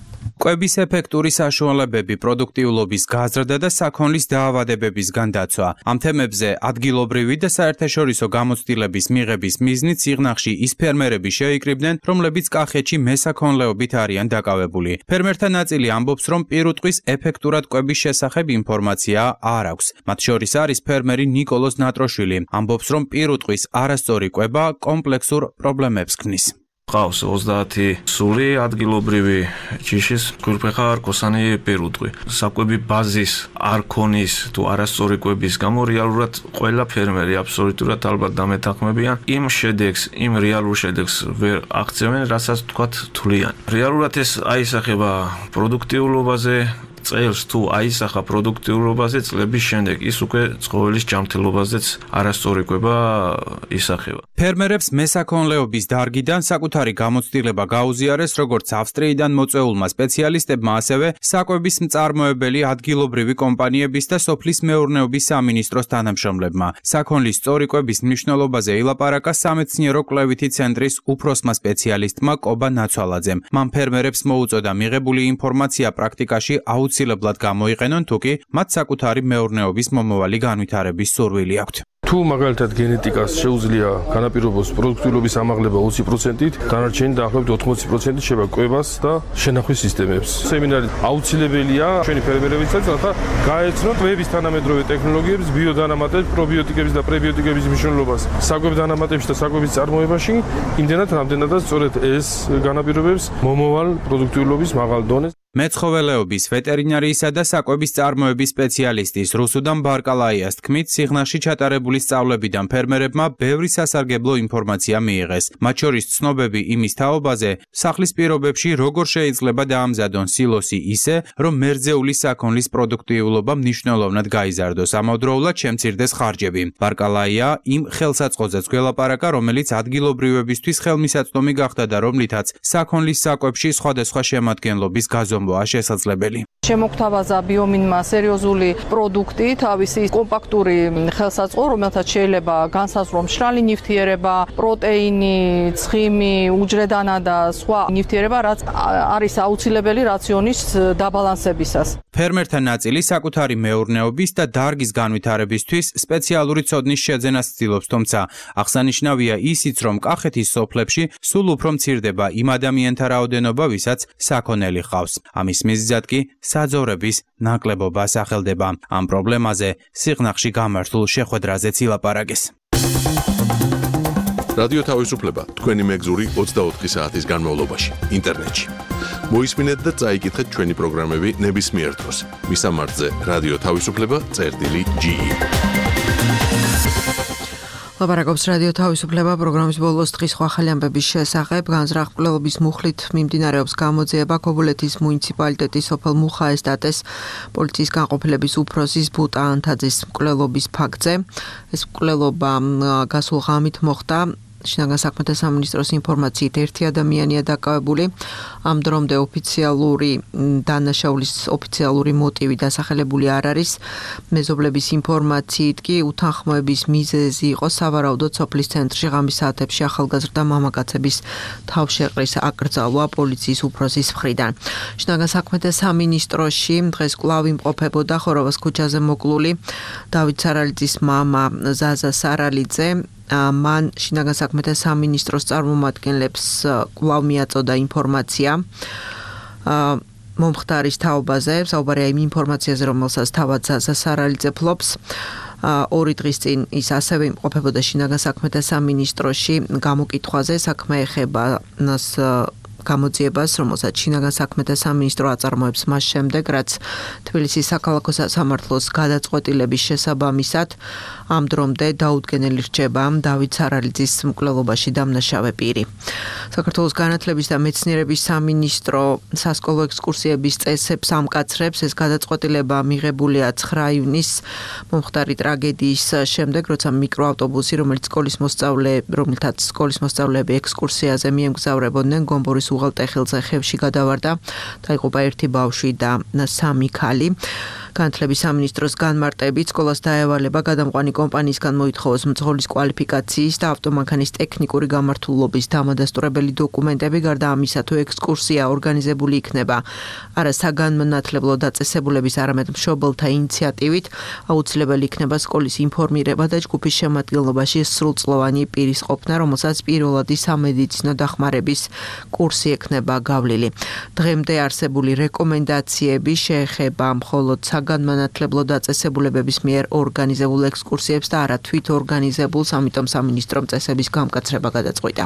კვების ეფექტური საშუალებები, პროდუქტიულობის გაზრდა და საქონლის დაავადებებისგან დაცვა. ამ თემებზე ადგილობრივი და საერთაშორისო გამოცდილების მიღების მიზნით სიღნაღში ის ფერმერები შეიკრიბნენ, რომლებიც კახეთში მესაქონლეობით არიან დაკავებული. ფერმერთა ნაწილი ამბობს, რომ პირუტყვის ეფექტურად კვების შესახებ ინფორმაცია არ აქვს. მათ შორის არის ფერმერი ნიკოლოზ ნატროშვილი. ამბობს, რომ პირუტყვის არასწორი კვება კომპლექსურ პრობლემებს ქმნის. ყავს 30 სული ადგილობრივი ჯიშის გვირფეხა არქოსანი პირუტყვი. საკვები ბაზის არ ქონის თუ არასწორი კვების გამო რეალურად ყველა ფერმერი აბსოლუტურად ალბათ დამეთანხმებიან იმ შედეგს, იმ რეალურ შედეგს ვერ აღწევენ, რასაც თქვათ თვლიან. რეალურად ეს აისახება პროდუქტიულობაზე, წელს თუ აისახა პროდუქტიულობაზე, წლების შემდეგ ის უკვე ცხოველის ჯანმრთელობაზეც არასწორი კვება ისახება. ფერმერებს მესაქონლეობის დარგიდან საკუთარი გამოცდილება გაუზიარეს როგორც ავსტრიიდან მოწვეულმა სპეციალისტებმა, ასევე საკვების მწარმოებელი ადგილობრივი კომპანიების და სოფლის მეურნეობის სამინისტროს თანამშრომლებმა. საქონლის სწორი კვების მნიშვნელობაზე ილაპარაკა სამეცნიერო კვლევითი ცენტრის უფროსმა სპეციალისტმა კობა ნაცვალაძემ. მან ფერმერებს მოუწოდა მიღებული ინფორმაცია პრაქტიკაში აუცილებლად გამოიყენონ, თუკი მათ საკუთარი მეურნეობის მომავალი განვითარების სურვილი აქვთ. თუ მაგალითად გენეტიკას შეუძლია განაპირობოს პროდუქტიულობის ამაღლება 20%-ით, დანარჩენი დაახლოებით 80% შევა კვებას და შენახვის სისტემებს. სემინარი აუცილებელია ჩვენი ფერმერებისთვის, რათა გაეცნოთ კვების თანამედროვე ტექნოლოგიების, ბიოდანამატების, პრობიოტიკების და პრებიოტიკების მნიშვნელობას საკვებ დანამატებში და საკვების წარმოებაში, იმდენად რამდენადაც სწორედ ეს განაპირობებს მომავალ პროდუქტიულობის მაღალ დონეს. მეცხოველეობის, ვეტერინარიისა და საკვების წარმოების სპეციალისტის რუსუდან ბარკალაიას თქმით, სიღნაღში ჩატარებული სწავლებიდან ფერმერებმა ბევრი სასარგებლო ინფორმაცია მიიღეს. მათ შორის ცნობები იმის თაობაზე, სახლის პირობებში როგორ შეიძლება დაამზადონ სილოსი ისე, რომ მერძეული საქონლის პროდუქტიულობა მნიშვნელოვნად გაიზარდოს, ამავდროულად შემცირდეს ხარჯები. ბარკალაია იმ ხელსაწყოზეც გველაპარაკა, რომელიც ადგილობრივებისთვის ხელმისაწვდომი გახდა და რომლითაც საქონლის საკვებში სხვადასხვა შემადგენლობის გაზომვაა შესაძლებელი. შემოგთავაზა ბიომინმა სერიოზული პროდუქტი, თავისი კომპაქტური ხელსაწყო, რომელთაც შეიძლება განსაზღვრო მშრალი ნივთიერება, პროტეინი, ცხიმი, უჯრედანა და სხვა ნივთიერება, რაც არის აუცილებელი რაციონის დაბალანსებისას. ფერმერთა ნაწილი საკუთარი მეურნეობის და დარგის განვითარებისთვის სპეციალური ცოდნის შეძენას ცდილობს, თუმცა აღსანიშნავია ისიც, რომ კახეთის სოფლებში სულ უფრო მცირდება იმ ადამიანთა რაოდენობა, ვისაც საქონელი ჰყავს. ამის მიზეზად კი საძოვრების ნაკლებობა სახელდება. ამ პრობლემაზე სიღნაღში გამართულ შეხვედრაზეც ილაპარაკეს. რადიო თავისუფლება თქვენი მეგზური 24 საათის განმავლობაში ინტერნეტში. მოისმინეთ და წაიკითხეთ ჩვენი პროგრამები ნებისმიერ დროს. მისამართზე რადიო თავისუფლება.ge. ლაპარაკობს რადიო თავისუფლება პროგრამის ბოლოს დღის სხვა ახალი ამბების შესახებ. განზრახ-მკვლელობის მუხლით მიმდინარეობს გამოძიება ქობულეთის მუნიციპალიტეტის სოფელ მუხაესტატეს პოლიციის განყოფილების უფროსის ბუტა ანთაძის მკვლელობის ფაქტზე. ეს მკვლელობა გასულ ღამით მოხდა. შინაგან საქმეთა სამინისტროს ინფორმაციით ერთი ადამიანია დაკავებული. ამ დრომდე ოფიციალური დანაშაულის ოფიციალური მოტივი დასახელებული არ არის. მეზობლების ინფორმაციით კი უთანხმოების მიზეზი იყო სავარაუდოდ სოფლის ცენტრში ღამის საათებში ახალგაზრდა მამაკაცების თავშეყრის აკრძალვა პოლიციის უფროსის მხრიდან. შინაგან საქმეთა სამინისტროში დღეს კვლავ იმყოფებოდა ხოროვას ქუჩაზე მოკლული დავით სარალიძის მამა ზაზა სარალიძე. მან შინაგან საქმეთა სამინისტროს წარმომადგენლებს კვლავ მიაწოდა ინფორმაცია მომხდარის თაობაზე, საუბარია იმ ინფორმაციაზე, რომელსაც თავად ზაზა სარალიძე ფლობს. 2 დღის წინ ის ასევე იმყოფებოდა შინაგან საქმეთა სამინისტროში გამოკითხვაზე, საქმე ეხება გამოძიებას, რომელსაც შინაგან საქმეთა სამინისტრო აწარმოებს მას შემდეგ, რაც თბილისის საქალაქო სასამართლოს გადაწყვეტილების შესაბამისად ამ დრომდე დაუდგენელი რჩება დავით სარალიძის მკვლელობაში დამნაშავე პირი. საქართველოს განათლების და მეცნიერების სამინისტრო სასკოლო ექსკურსიების წესებს ამკაცრებს. ეს გადაწყვეტილება მიღებულია 9 იუნის მომხდარი ტრაგედიის შემდეგ, როცა მიკროავტობუსი, რომელთაც სკოლის მოსწავლეები ექსკურსიაზე მიემგზავრებოდნენ, გომბორის უღელტეხილზე ხევში გადავარდა. დაიღუპა 1 ბავშვი და 3 ქალი. განათლების სამინისტროს განმარტებით სკოლას დაევალება გადამყვანი კომპანიისგან მოითხოვოს მძღოლის კვალიფიკაციის და ავტომანქანის ტექნიკური გამართულობის დამადასტურებელი დოკუმენტები. გარდა ამისა, თუ ექსკურსია ორგანიზებული იქნება არა საგანმანათლებლო დაწესებულების, არამედ მშობელთა ინიციატივით, აუცილებელი იქნება სკოლის ინფორმირება და ჯგუფის შემადგენლობაში სრულწლოვანი პირის ყოფნა, რომელსაც პირველადი სამედიცინო დახმარების კურსი ექნება გავლილი. დღემდე არსებული რეკომენდაციები შეეხება მხოლოდ განმანათლებლო დაწესებულებების მიერ ორგანიზებულ ექსკურსიებს და არა თვით ორგანიზებულს, ამიტომ სამინისტრომ წესების გამკაცრება გადაწყვიტა.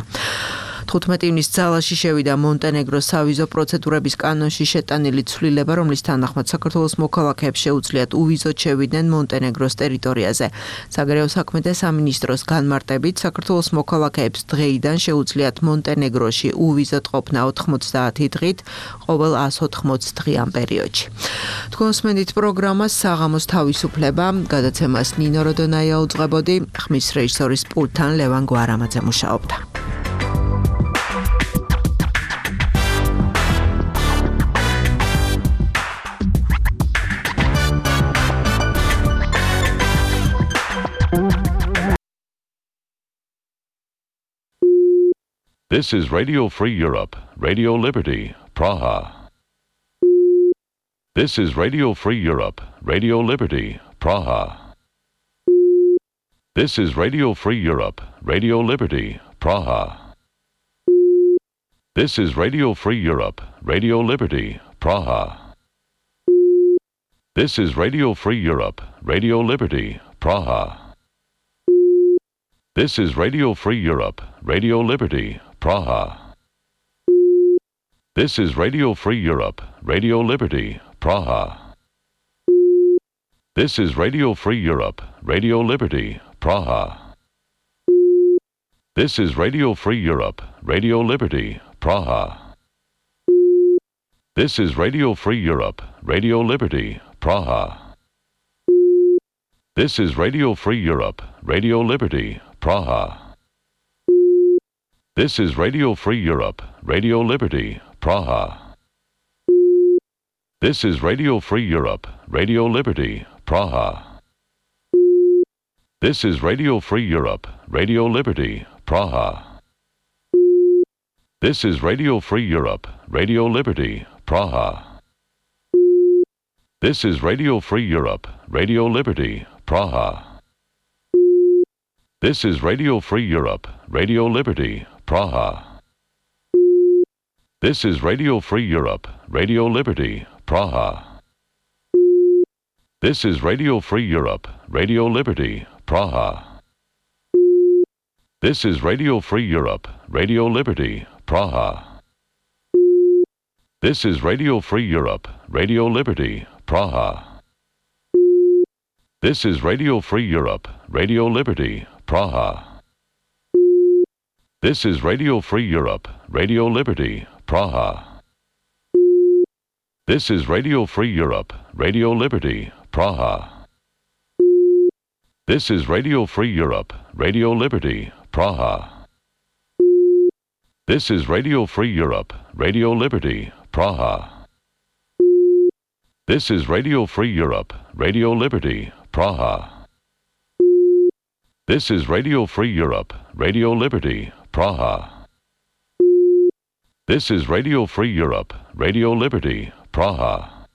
15 ივნის ძალაში შევიდა მონტენეგროს სავიზო პროცედურების კანონში შეტანილი ცვლილება, რომლის თანახმად საქართველოს მოქალაქეებს შეუძლიათ უვიზოდ შევიდნენ მონტენეგროს ტერიტორიაზე. საგარეო საქმეთა სამინისტროს განმარტებით, საქართველოს მოქალაქეებს დღეიდან შეუძლიათ მონტენეგროში უვიზოდ ყოფნა 90 დღით ყოველ 180 დღიან პერიოდში. თქვენ უსმენთ პროგრამას საღამოს თავისუფლება, გადაცემას ნინო როდონაია უძღვებოდი, ხმის რეჟისორის პულტთან ლევან გვარამაძე მუშაობდა. This is Radio Free Europe, Radio Liberty, Praha. This is Radio Free Europe, Radio Liberty, Praha. This is Radio Free Europe, Radio Liberty, Praha. This is Radio Free Europe, Radio Liberty, Praha. This is Radio Free Europe, Radio Liberty, Praha. This is Radio Free Europe, Radio Liberty, Praha. This is Radio Free Europe, Radio Liberty, Praha. This is Radio Free Europe, Radio Liberty, Praha. This is Radio Free Europe, Radio Liberty, Praha. This is Radio Free Europe, Radio Liberty, Praha. This is Radio Free Europe, Radio Liberty, Praha. This is Radio Free Europe, Radio Liberty, Praha. This is Radio Free Europe, Radio Liberty, Praha. This is Radio Free Europe, Radio Liberty, Praha. This is Radio Free Europe, Radio Liberty, Praha. This is Radio Free Europe, Radio Liberty, Praha. This is Radio Free Europe, Radio Liberty, Praha. This is Radio Free Europe, Radio Liberty, Praha. This is Radio Free Europe, Radio Liberty, Praha. This is Radio Free Europe, Radio Liberty, Praha. This is Radio Free Europe, Radio Liberty, Praha. This is Radio Free Europe, Radio Liberty, Praha. This is Radio Free Europe, Radio Liberty, Praha. This is Radio Free Europe, Radio Liberty, Praha. This is Radio Free Europe, Radio Liberty, Praha. This is Radio Free Europe, Radio Liberty, Praha. This is Radio Free Europe, Radio Liberty, Praha. This is Radio Free Europe, Radio Liberty, Praha. This is Radio Free Europe, Radio Liberty, Praha.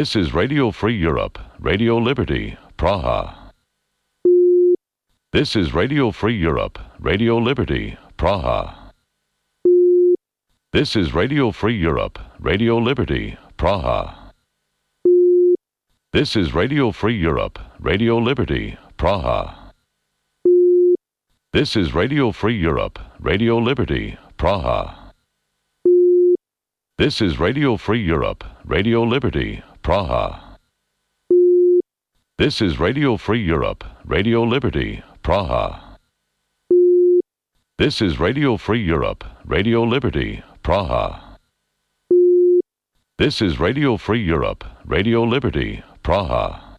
This is Radio Free Europe, Radio Liberty, Praha. This is Radio Free Europe, Radio Liberty, Praha. This is Radio Free Europe, Radio Liberty, Praha. This is Radio Free Europe, Radio Liberty, Praha. This is Radio Free Europe, Radio Liberty, Praha. This is Radio Free Europe, Radio Liberty, Praha. This is Radio Free Europe, Radio Liberty, Praha. This is Radio Free Europe, Radio Liberty, Praha. This is Radio Free Europe, Radio Liberty, Praha.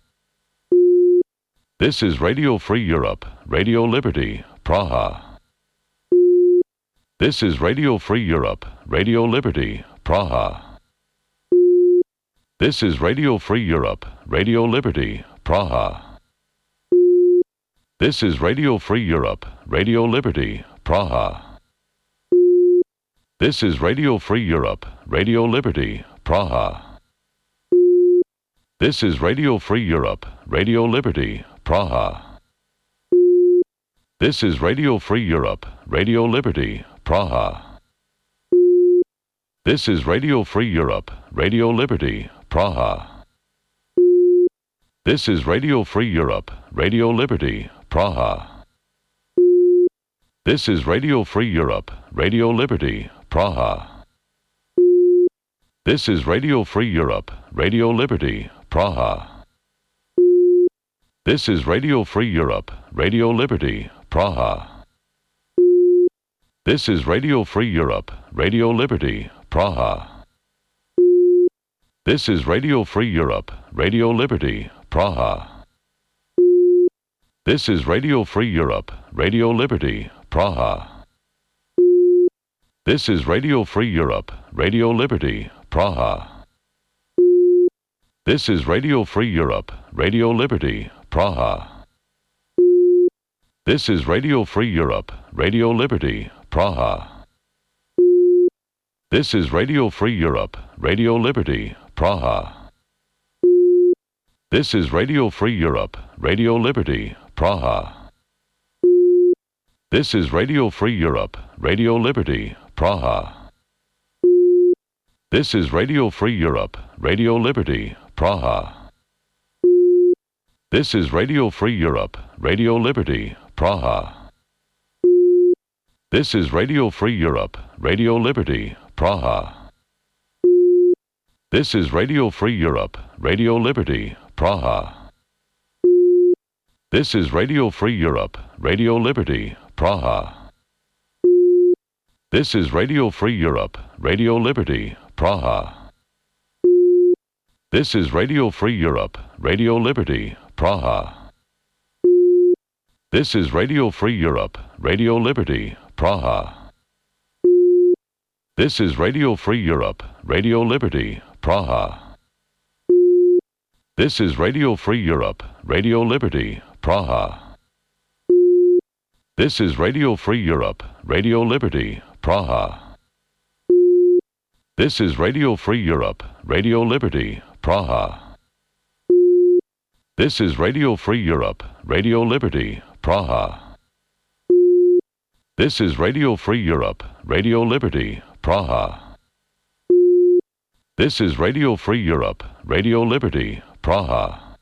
This is Radio Free Europe, Radio Liberty, Praha. This is Radio Free Europe, Radio Liberty, Praha. This is Radio Free Europe, Radio Liberty, Praha. This is Radio Free Europe, Radio Liberty, Praha. This is Radio Free Europe, Radio Liberty, Praha. This is Radio Free Europe, Radio Liberty, Praha. This is Radio Free Europe, Radio Liberty, Praha. This is Radio Free Europe, Radio Liberty, Praha. This is Radio Free Europe, Radio Liberty, Praha. This is Radio Free Europe, Radio Liberty, Praha. This is Radio Free Europe, Radio Liberty, Praha. This is Radio Free Europe, Radio Liberty, Praha. This is Radio Free Europe, Radio Liberty, Praha. This is Radio Free Europe, Radio Liberty, Praha. This is Radio Free Europe, Radio Liberty, Praha. This is Radio Free Europe, Radio Liberty, Praha. This is Radio Free Europe, Radio Liberty, Praha. This is Radio Free Europe, Radio Liberty, Praha. This is Radio Free Europe, Radio Liberty, Praha. This is Radio Free Europe, Radio Liberty, Praha. This is Radio Free Europe, Radio Liberty, Praha. This is Radio Free Europe, Radio Liberty, Praha. This is Radio Free Europe, Radio Liberty, Praha. This is Radio Free Europe, Radio Liberty, Praha. This is Radio Free Europe, Radio Liberty, Praha. This is Radio Free Europe, Radio Liberty, Praha. This is Radio Free Europe, Radio Liberty, Praha. This is Radio Free Europe, Radio Liberty, Praha. This is Radio Free Europe, Radio Liberty, Praha. This is Radio Free Europe, Radio Liberty, Praha. This is Radio Free Europe, Radio Liberty, Praha. This is Radio Free Europe, Radio Liberty, Praha. This is Radio Free Europe, Radio Liberty, Praha. This is Radio Free Europe, Radio Liberty, Praha. This is Radio Free Europe, Radio Liberty, Praha. This is Radio Free Europe, Radio Liberty, Praha.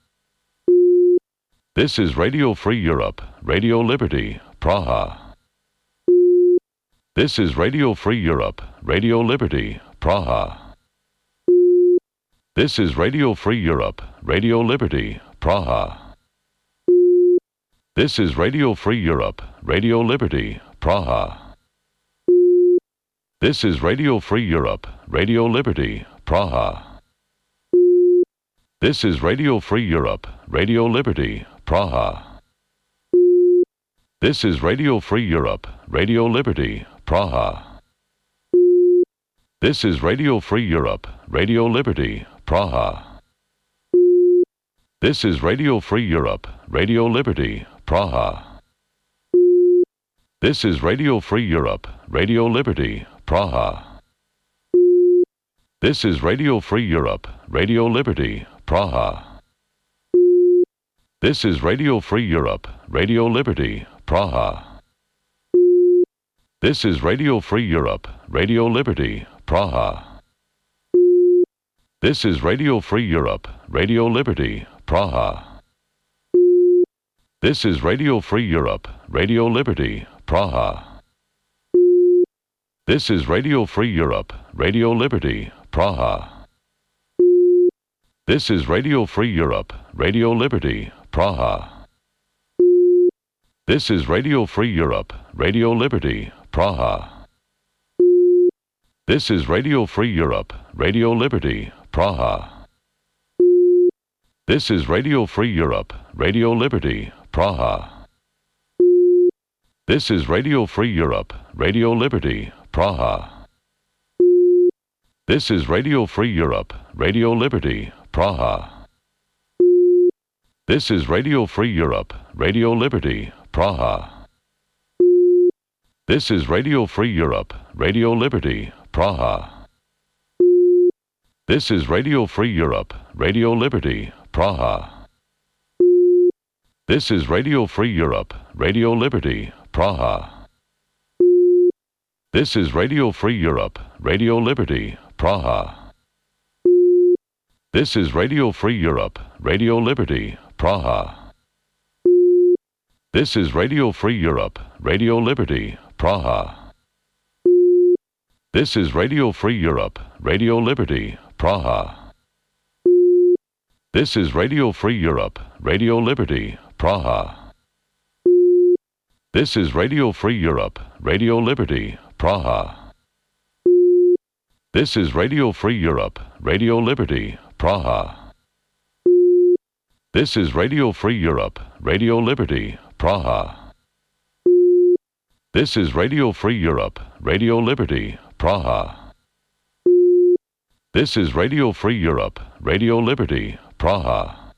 This is Radio Free Europe, Radio Liberty, Praha. This is Radio Free Europe, Radio Liberty, Praha. This is Radio Free Europe, Radio Liberty, Praha. This is Radio Free Europe, Radio Liberty, Praha. This is Radio Free Europe, Radio Liberty, Praha. This is Radio Free Europe, Radio Liberty, Praha. This is Radio Free Europe, Radio Liberty, Praha. This is Radio Free Europe, Radio Liberty, Praha. This is Radio Free Europe, Radio Liberty, Praha. This is Radio Free Europe, Radio Liberty, Praha. This is Radio Free Europe, Radio Liberty, Praha. This is Radio Free Europe, Radio Liberty, Praha. This is Radio Free Europe, Radio Liberty, Praha. This is Radio Free Europe, Radio Liberty, Praha. This is Radio Free Europe, Radio Liberty, Praha. This is Radio Free Europe, Radio Liberty, Praha. This is Radio Free Europe, Radio Liberty, Praha. This is Radio Free Europe, Radio Liberty, Praha. This is Radio Free Europe, Radio Liberty, Praha. This is Radio Free Europe, Radio Liberty, Praha. This is Radio Free Europe, Radio Liberty, Praha. This is Radio Free Europe, Radio Liberty, Praha. This is Radio Free Europe, Radio Liberty, Praha. This is Radio Free Europe, Radio Liberty, Praha. This is Radio Free Europe, Radio Liberty, Praha. This is Radio Free Europe, Radio Liberty, Praha. This is Radio Free Europe, Radio Liberty, Praha. This is Radio Free Europe, Radio Liberty, Praha. This is Radio Free Europe, Radio Liberty, Praha. This is Radio Free Europe, Radio Liberty, Praha. This is Radio Free Europe, Radio Liberty, Praha. This is Radio Free Europe, Radio Liberty, Praha. This is Radio Free Europe, Radio Liberty, Praha. This is Radio Free Europe, Radio Liberty, Praha. This is Radio Free Europe, Radio Liberty, Praha. This is Radio Free Europe, Radio Liberty, Praha.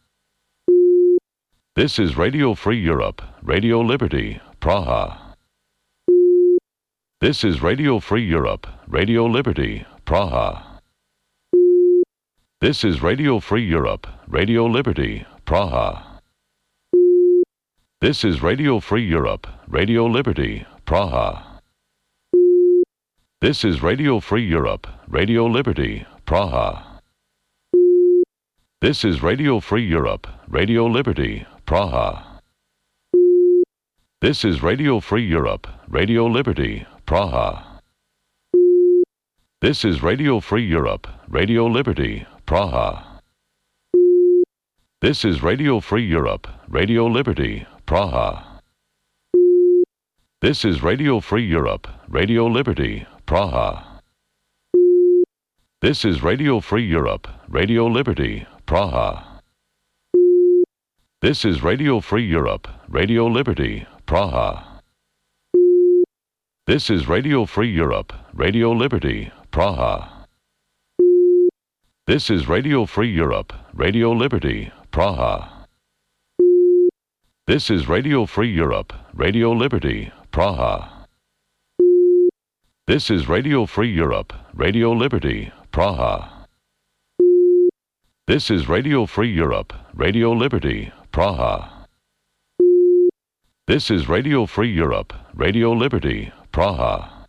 This is Radio Free Europe, Radio Liberty, Praha. This is Radio Free Europe, Radio Liberty, Praha. This is Radio Free Europe, Radio Liberty, Praha. This is Radio Free Europe, Radio Liberty, Praha. This is Radio Free Europe, Radio Liberty, Praha. This is Radio Free Europe, Radio Liberty, Praha. This is Radio Free Europe, Radio Liberty, Praha. This is Radio Free Europe, Radio Liberty, Praha. This is Radio Free Europe, Radio Liberty, Praha. This is Radio Free Europe, Radio Liberty, Praha. This is Radio Free Europe, Radio Liberty, Praha. This is Radio Free Europe, Radio Liberty, Praha. This is Radio Free Europe, Radio Liberty, Praha. This is Radio Free Europe, Radio Liberty, Praha. This is Radio Free Europe, Radio Liberty, Praha. This is Radio Free Europe, Radio Liberty, Praha. This is Radio Free Europe, Radio Liberty, Praha. This is Radio Free Europe, Radio Liberty, Praha.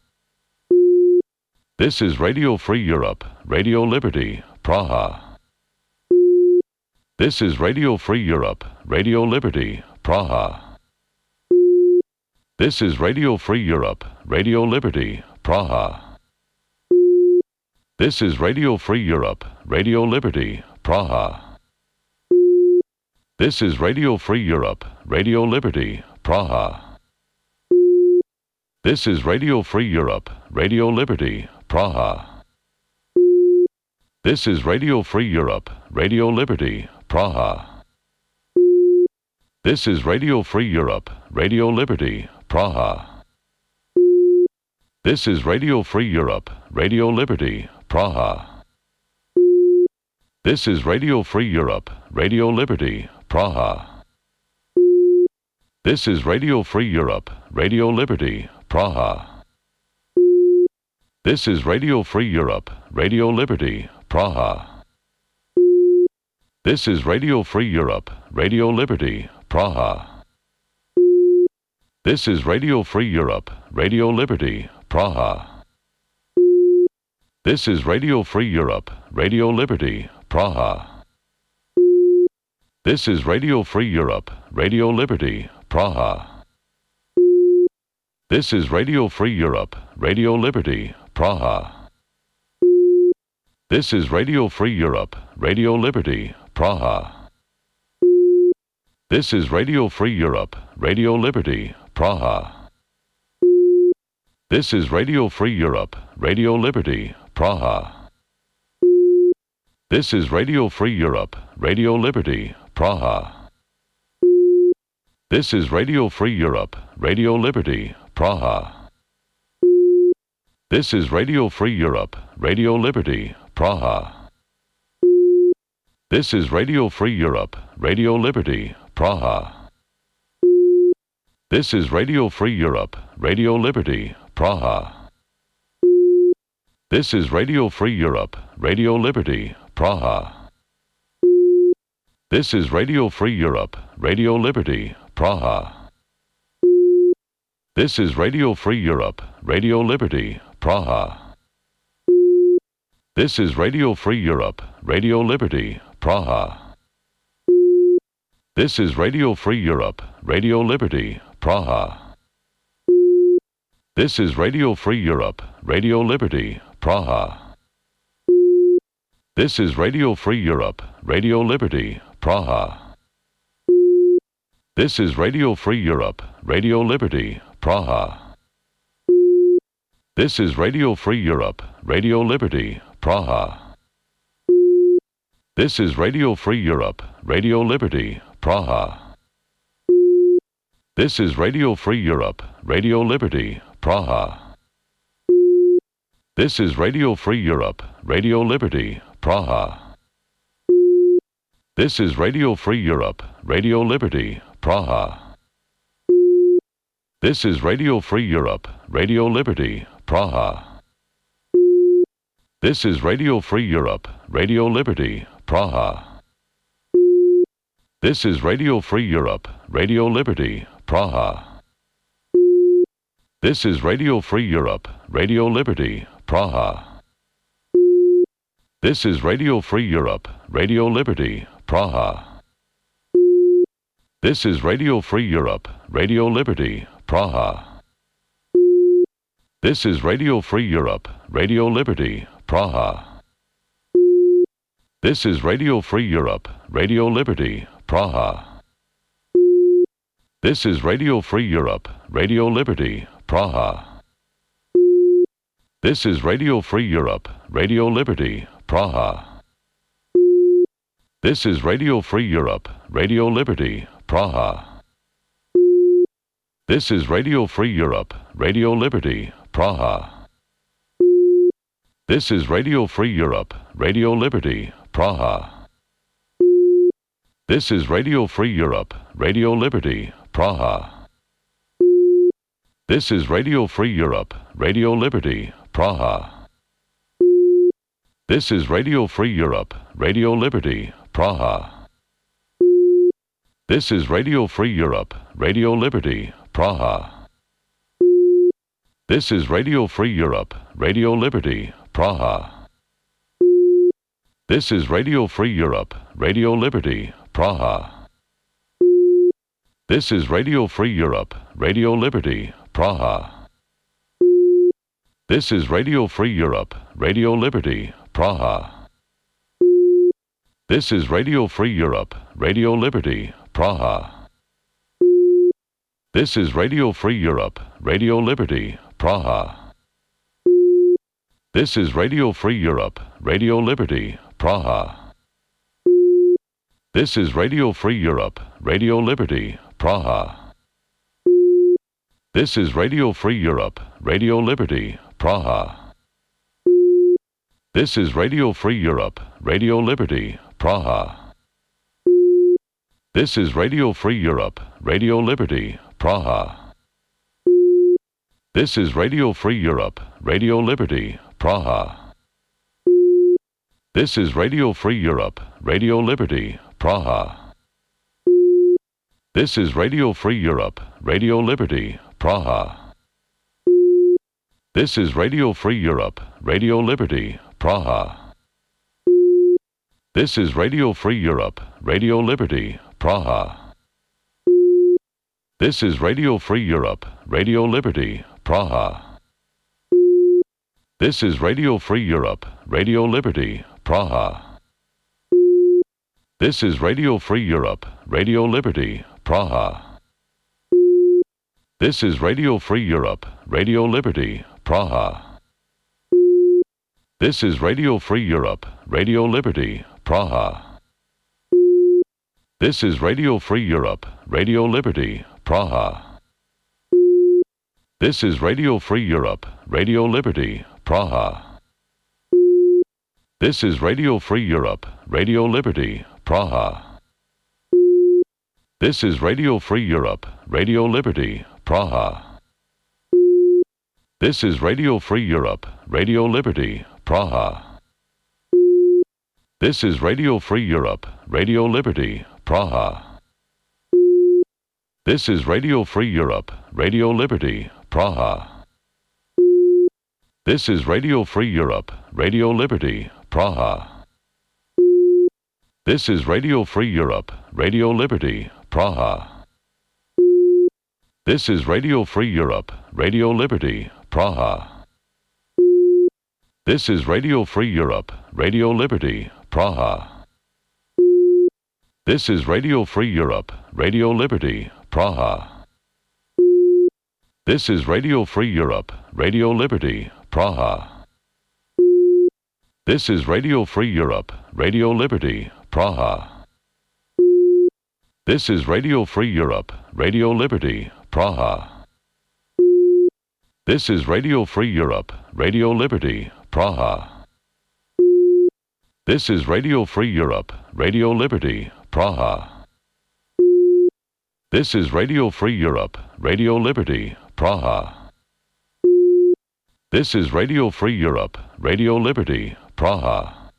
This is Radio Free Europe, Radio Liberty, Praha. This is Radio Free Europe, Radio Liberty, Praha. This is Radio Free Europe, Radio Liberty, Praha. This is Radio Free Europe, Radio Liberty, Praha. This is Radio Free Europe, Radio Liberty, Praha. This is Radio Free Europe, Radio Liberty, Praha. This is Radio Free Europe, Radio Liberty, Praha. This is Radio Free Europe, Radio Liberty, Praha. This is Radio Free Europe, Radio Liberty, Praha. This is Radio Free Europe, Radio Liberty, Praha. This is Radio Free Europe, Radio Liberty, Praha. This is Radio Free Europe, Radio Liberty, Praha. This is Radio Free Europe, Radio Liberty, Praha. This is Radio Free Europe, Radio Liberty, Praha. This is Radio Free Europe, Radio Liberty, Praha. This is Radio Free Europe, Radio Liberty, Praha. This is Radio Free Europe, Radio Liberty, Praha. This is Radio Free Europe, Radio Liberty, Praha. This is Radio Free Europe, Radio Liberty, Praha. This is Radio Free Europe, Radio Liberty, Praha. This is Radio Free Europe, Radio Liberty, Praha. This is Radio Free Europe, Radio Liberty, Praha. This is Radio Free Europe, Radio Liberty, Praha. This is Radio Free Europe, Radio Liberty, Praha. This is Radio Free Europe, Radio Liberty, Praha. This is Radio Free Europe, Radio Liberty, Praha. This is Radio Free Europe, Radio Liberty, Praha. This is Radio Free Europe, Radio Liberty, Praha. This is Radio Free Europe, Radio Liberty, Praha. This is Radio Free Europe, Radio Liberty, Praha. This is Radio Free Europe, Radio Liberty, Praha. This is Radio Free Europe, Radio Liberty, Praha. This is Radio Free Europe, Radio Liberty, Praha. This is Radio Free Europe, Radio Liberty, Praha. This is Radio Free Europe, Radio Liberty, Praha. This is Radio Free Europe, Radio Liberty, Praha. This is Radio Free Europe, Radio Liberty, Praha. This is Radio Free Europe, Radio Liberty, Praha. This is Radio Free Europe, Radio Liberty, Praha. This is Radio Free Europe, Radio Liberty, Praha. This is Radio Free Europe, Radio Liberty, Praha. This is Radio Free Europe, Radio Liberty, Praha. This is Radio Free Europe, Radio Liberty, Praha. This is Radio Free Europe, Radio Liberty, Praha. This is Radio Free Europe, Radio Liberty, Praha. This is Radio Free Europe, Radio Liberty, Praha. This is Radio Free Europe, Radio Liberty, Praha. This is Radio Free Europe, Radio Liberty, Praha. This is Radio Free Europe, Radio Liberty, Praha. This is Radio Free Europe, Radio Liberty, Praha. This is Radio Free Europe, Radio Liberty, Praha. This is Radio Free Europe, Radio Liberty, Praha. This is Radio Free Europe, Radio Liberty, Praha. This is Radio Free Europe, Radio Liberty, Praha. This is Radio Free Europe, Radio Liberty, Praha. This is Radio Free Europe, Radio Liberty, Praha. This is Radio Free Europe, Radio Liberty, Praha. This is Radio Free Europe, Radio Liberty, Praha. This is Radio Free Europe, Radio Liberty, Praha. This is Radio Free Europe, Radio Liberty, Praha. This is Radio Free Europe, Radio Liberty, Praha. This is Radio Free Europe, Radio Liberty, Praha. This is Radio Free Europe, Radio Liberty, Praha. This is Radio Free Europe, Radio Liberty, Praha. This is Radio Free Europe, Radio Liberty, Praha. This is Radio Free Europe, Radio Liberty, Praha. This is Radio Free Europe, Radio Liberty, Praha. This is Radio Free Europe, Radio Liberty, Praha. This is Radio Free Europe, Radio Liberty, Praha. This is Radio Free Europe, Radio Liberty, Praha. This is Radio Free Europe, Radio Liberty, Praha. This is Radio Free Europe, Radio Liberty, Praha. This is Radio Free Europe, Radio Liberty, Praha. This is Radio Free Europe, Radio Liberty, Praha. This is Radio Free Europe, Radio Liberty, Praha. This is Radio Free Europe, Radio Liberty, Praha. This is Radio Free Europe, Radio Liberty, Praha. This is Radio Free Europe, Radio Liberty, Praha. This is Radio Free Europe, Radio Liberty, Praha. This is Radio Free Europe, Radio Liberty, Praha. This is Radio Free Europe, Radio Liberty, Praha. This is Radio Free Europe, Radio Liberty, Praha. This is Radio Free Europe, Radio Liberty, Praha. This is Radio Free Europe, Radio Liberty, Praha. This is Radio Free Europe, Radio Liberty, Praha. This is Radio Free Europe, Radio Liberty, Praha. This is Radio Free Europe, Radio Liberty, Praha. This is Radio Free Europe, Radio Liberty, Praha. This is Radio Free Europe, Radio Liberty, Praha. This is Radio Free Europe, Radio Liberty, Praha. This is Radio Free Europe, Radio Liberty, Praha. This is Radio Free Europe, Radio Liberty, Praha. This is Radio Free Europe, Radio Liberty, Praha. This is Radio Free Europe, Radio Liberty, Praha. This is Radio Free Europe, Radio Liberty, Praha.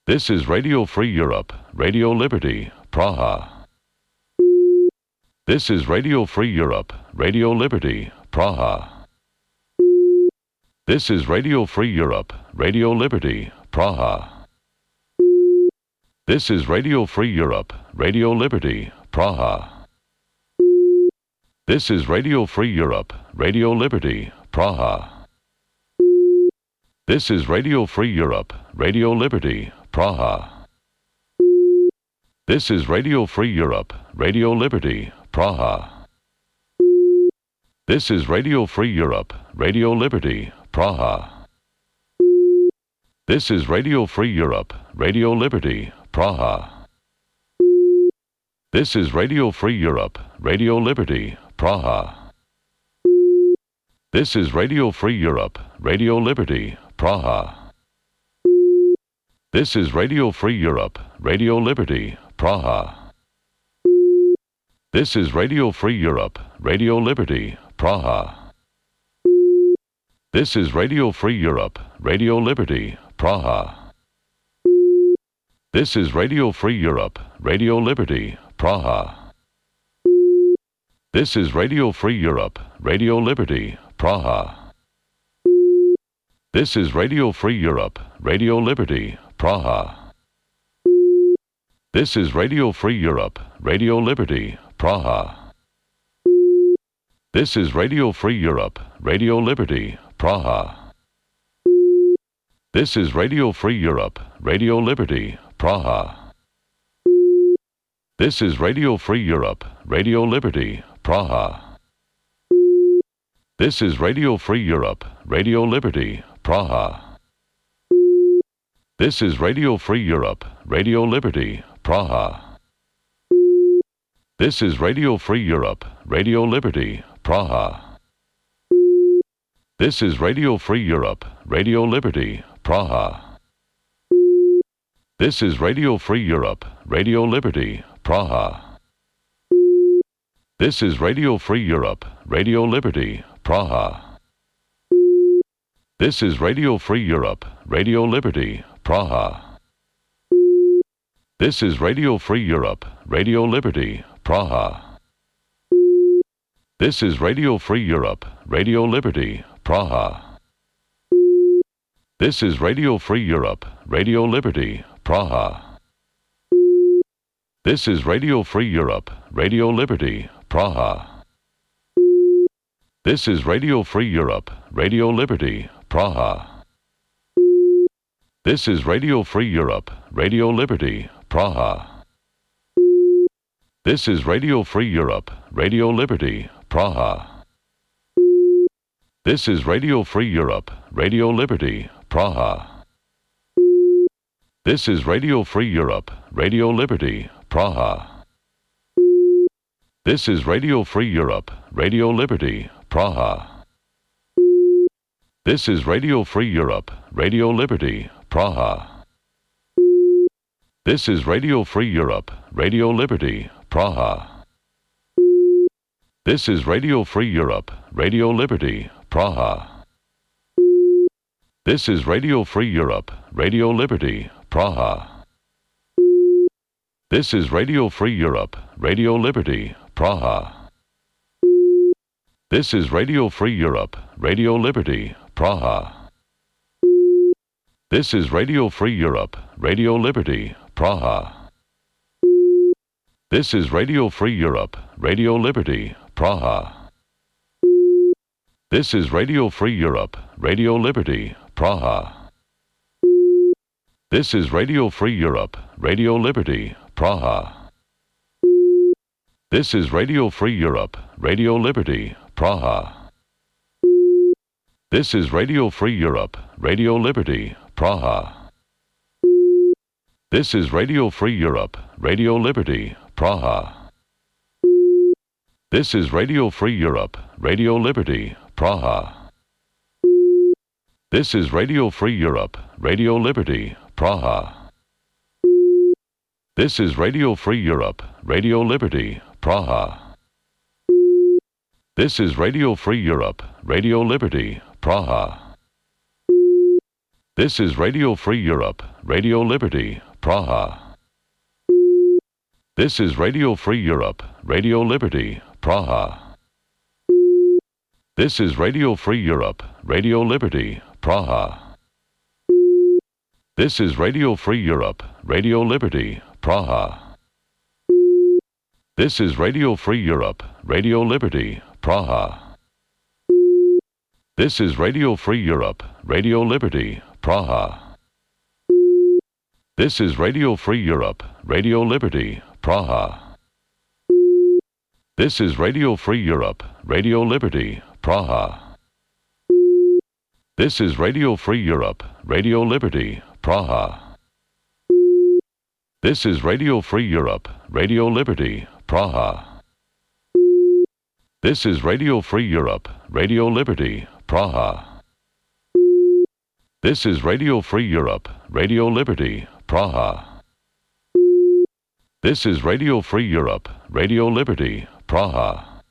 This is Radio Free Europe, Radio Liberty, Praha. This is Radio Free Europe, Radio Liberty, Praha. This is Radio Free Europe, Radio Liberty, Praha. This is Radio Free Europe, Radio Liberty, Praha. This is Radio Free Europe, Radio Liberty, Praha. This is Radio Free Europe, Radio Liberty, Praha. This is Radio Free Europe, Radio Liberty, Praha. This is Radio Free Europe, Radio Liberty, Praha. This is Radio Free Europe, Radio Liberty, Praha. This is Radio Free Europe, Radio Liberty, Praha. This is Radio Free Europe, Radio Liberty, Praha. This is Radio Free Europe, Radio Liberty, Praha. This is Radio Free Europe, Radio Liberty, Praha. This is Radio Free Europe, Radio Liberty, Praha. This is Radio Free Europe, Radio Liberty, Praha. This is Radio Free Europe, Radio Liberty, Praha. This is Radio Free Europe, Radio Liberty, Praha. This is Radio Free Europe, Radio Liberty, Praha. This is Radio Free Europe, Radio Liberty, Praha. This is Radio Free Europe, Radio Liberty, Praha. This is Radio Free Europe, Radio Liberty, Praha. This is Radio Free Europe, Radio Liberty, Praha. This is Radio Free Europe, Radio Liberty, Praha. This is Radio Free Europe, Radio Liberty, Praha. This is Radio Free Europe, Radio Liberty, Praha. This is Radio Free Europe, Radio Liberty, Praha. This is Radio Free Europe, Radio Liberty, Praha. This is Radio Free Europe, Radio Liberty, Praha. This is Radio Free Europe, Radio Liberty, Praha. This is Radio Free Europe, Radio Liberty, Praha. This is Radio Free Europe, Radio Liberty, Praha. This is Radio Free Europe, Radio Liberty, Praha. This is Radio Free Europe, Radio Liberty, Praha. This is Radio Free Europe, Radio Liberty, Praha. This is Radio Free Europe, Radio Liberty, Praha. This is Radio Free Europe, Radio Liberty, Praha. This is Radio Free Europe, Radio Liberty, Praha. This is Radio Free Europe, Radio Liberty, Praha. This is Radio Free Europe, Radio Liberty, Praha. This is Radio Free Europe, Radio Liberty, Praha. This is Radio Free Europe, Radio Liberty, Praha. This is Radio Free Europe, Radio Liberty, Praha. This is Radio Free Europe, Radio Liberty, Praha. This is Radio Free Europe, Radio Liberty, Praha. This is Radio Free Europe, Radio Liberty, Praha. This is Radio Free Europe, Radio Liberty, Praha. This is Radio Free Europe, Radio Liberty, Praha. This is Radio Free Europe, Radio Liberty, Praha. This is Radio Free Europe, Radio Liberty, Praha. This is Radio Free Europe, Radio Liberty, Praha. This is Radio Free Europe, Radio Liberty, Praha. This is Radio Free Europe, Radio Liberty, Praha. This is Radio Free Europe, Radio Liberty, Praha. This is Radio Free Europe, Radio Liberty, Praha. This is Radio Free Europe, Radio Liberty, Praha. This is Radio Free Europe, Radio Liberty, Praha. This is Radio Free Europe, Radio Liberty, Praha. This is Radio Free Europe, Radio Liberty, Praha. This is Radio Free Europe, Radio Liberty, Praha. This is Radio Free Europe, Radio Liberty, Praha. This is Radio Free Europe, Radio Liberty, Praha. This is Radio Free Europe, Radio Liberty, Praha. This is Radio Free Europe, Radio Liberty, Praha. This is Radio Free Europe, Radio Liberty, Praha. This is Radio Free Europe, Radio Liberty, Praha. This is Radio Free Europe, Radio Liberty, Praha. This is Radio Free Europe, Radio Liberty, Praha. This is Radio Free Europe, Radio Liberty, Praha.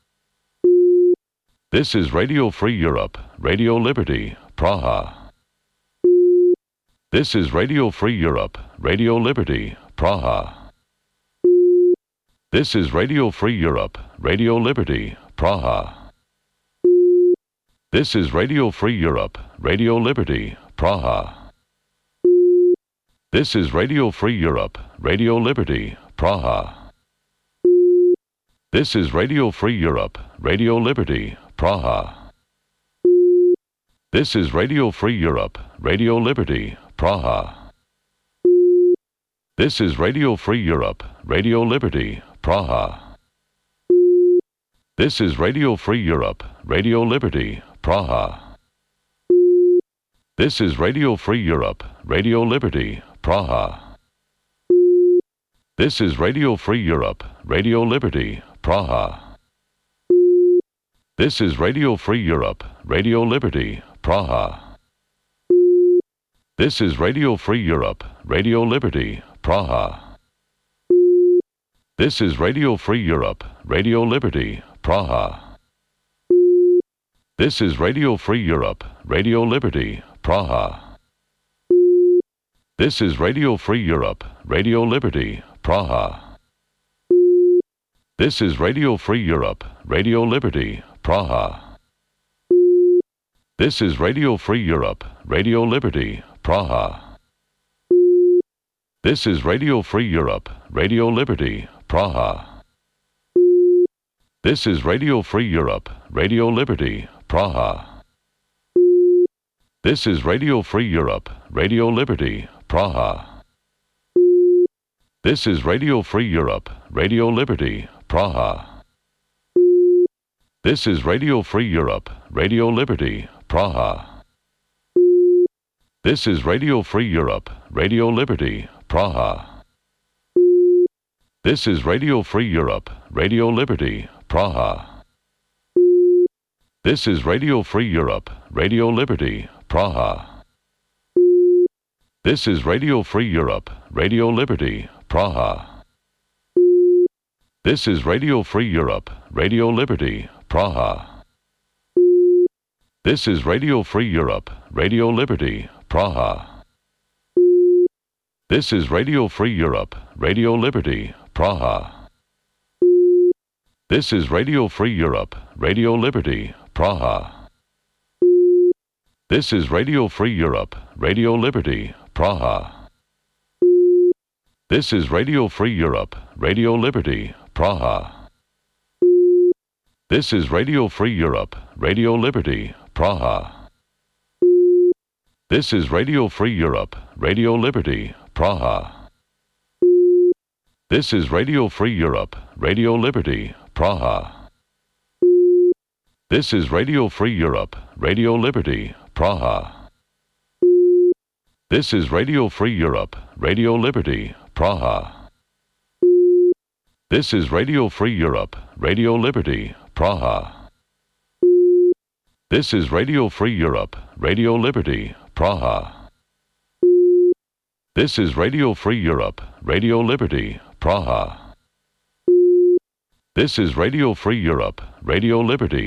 This is Radio Free Europe, Radio Liberty, Praha. This is Radio Free Europe, Radio Liberty, Praha. This is Radio Free Europe, Radio Liberty, Praha. This is Radio Free Europe, Radio Liberty, Praha. This is Radio Free Europe, Radio Liberty, Praha. This is Radio Free Europe, Radio Liberty, Praha. This is Radio Free Europe, Radio Liberty, Praha. This is Radio Free Europe, Radio Liberty, Praha. This is Radio Free Europe, Radio Liberty, Praha. This is Radio Free Europe, Radio Liberty, Praha. This is Radio Free Europe, Radio Liberty, Praha. This is Radio Free Europe, Radio Liberty, Praha. This is Radio Free Europe, Radio Liberty, Praha. This is Radio Free Europe, Radio Liberty, Praha. This is Radio Free Europe, Radio Liberty, Praha. This is Radio Free Europe, Radio Liberty, Praha. This is Radio Free Europe, Radio Liberty, Praha. This is Radio Free Europe, Radio Liberty, Praha. This is Radio Free Europe, Radio Liberty, Praha. This is Radio Free Europe, Radio Liberty, Praha. This is Radio Free Europe, Radio Liberty, Praha. This is Radio Free Europe, Radio Liberty, Praha. This is Radio Free Europe, Radio Liberty, Praha. This is Radio Free Europe, Radio Liberty, Praha. This is Radio Free Europe, Radio Liberty, Praha. This is Radio Free Europe, Radio Liberty, Praha. This is Radio Free Europe, Radio Liberty, Praha. This is Radio Free Europe, Radio Liberty, Praha. This is Radio Free Europe, Radio Liberty, Praha. This is Radio Free Europe, Radio Liberty, Praha. This is Radio Free Europe, Radio Liberty, Praha. This is Radio Free Europe, Radio Liberty, Praha. This is Radio Free Europe, Radio Liberty, Praha. This is Radio Free Europe, Radio Liberty, Praha. This is Radio Free Europe, Radio Liberty, Praha. This is Radio Free Europe, Radio Liberty, Praha. This is Radio Free Europe, Radio Liberty, Praha. This is Radio Free Europe, Radio Liberty, Praha. This is Radio Free Europe, Radio Liberty, Praha. This is Radio Free Europe, Radio Liberty, Praha. This is Radio Free Europe, Radio Liberty, Praha. This is Radio Free Europe, Radio Liberty,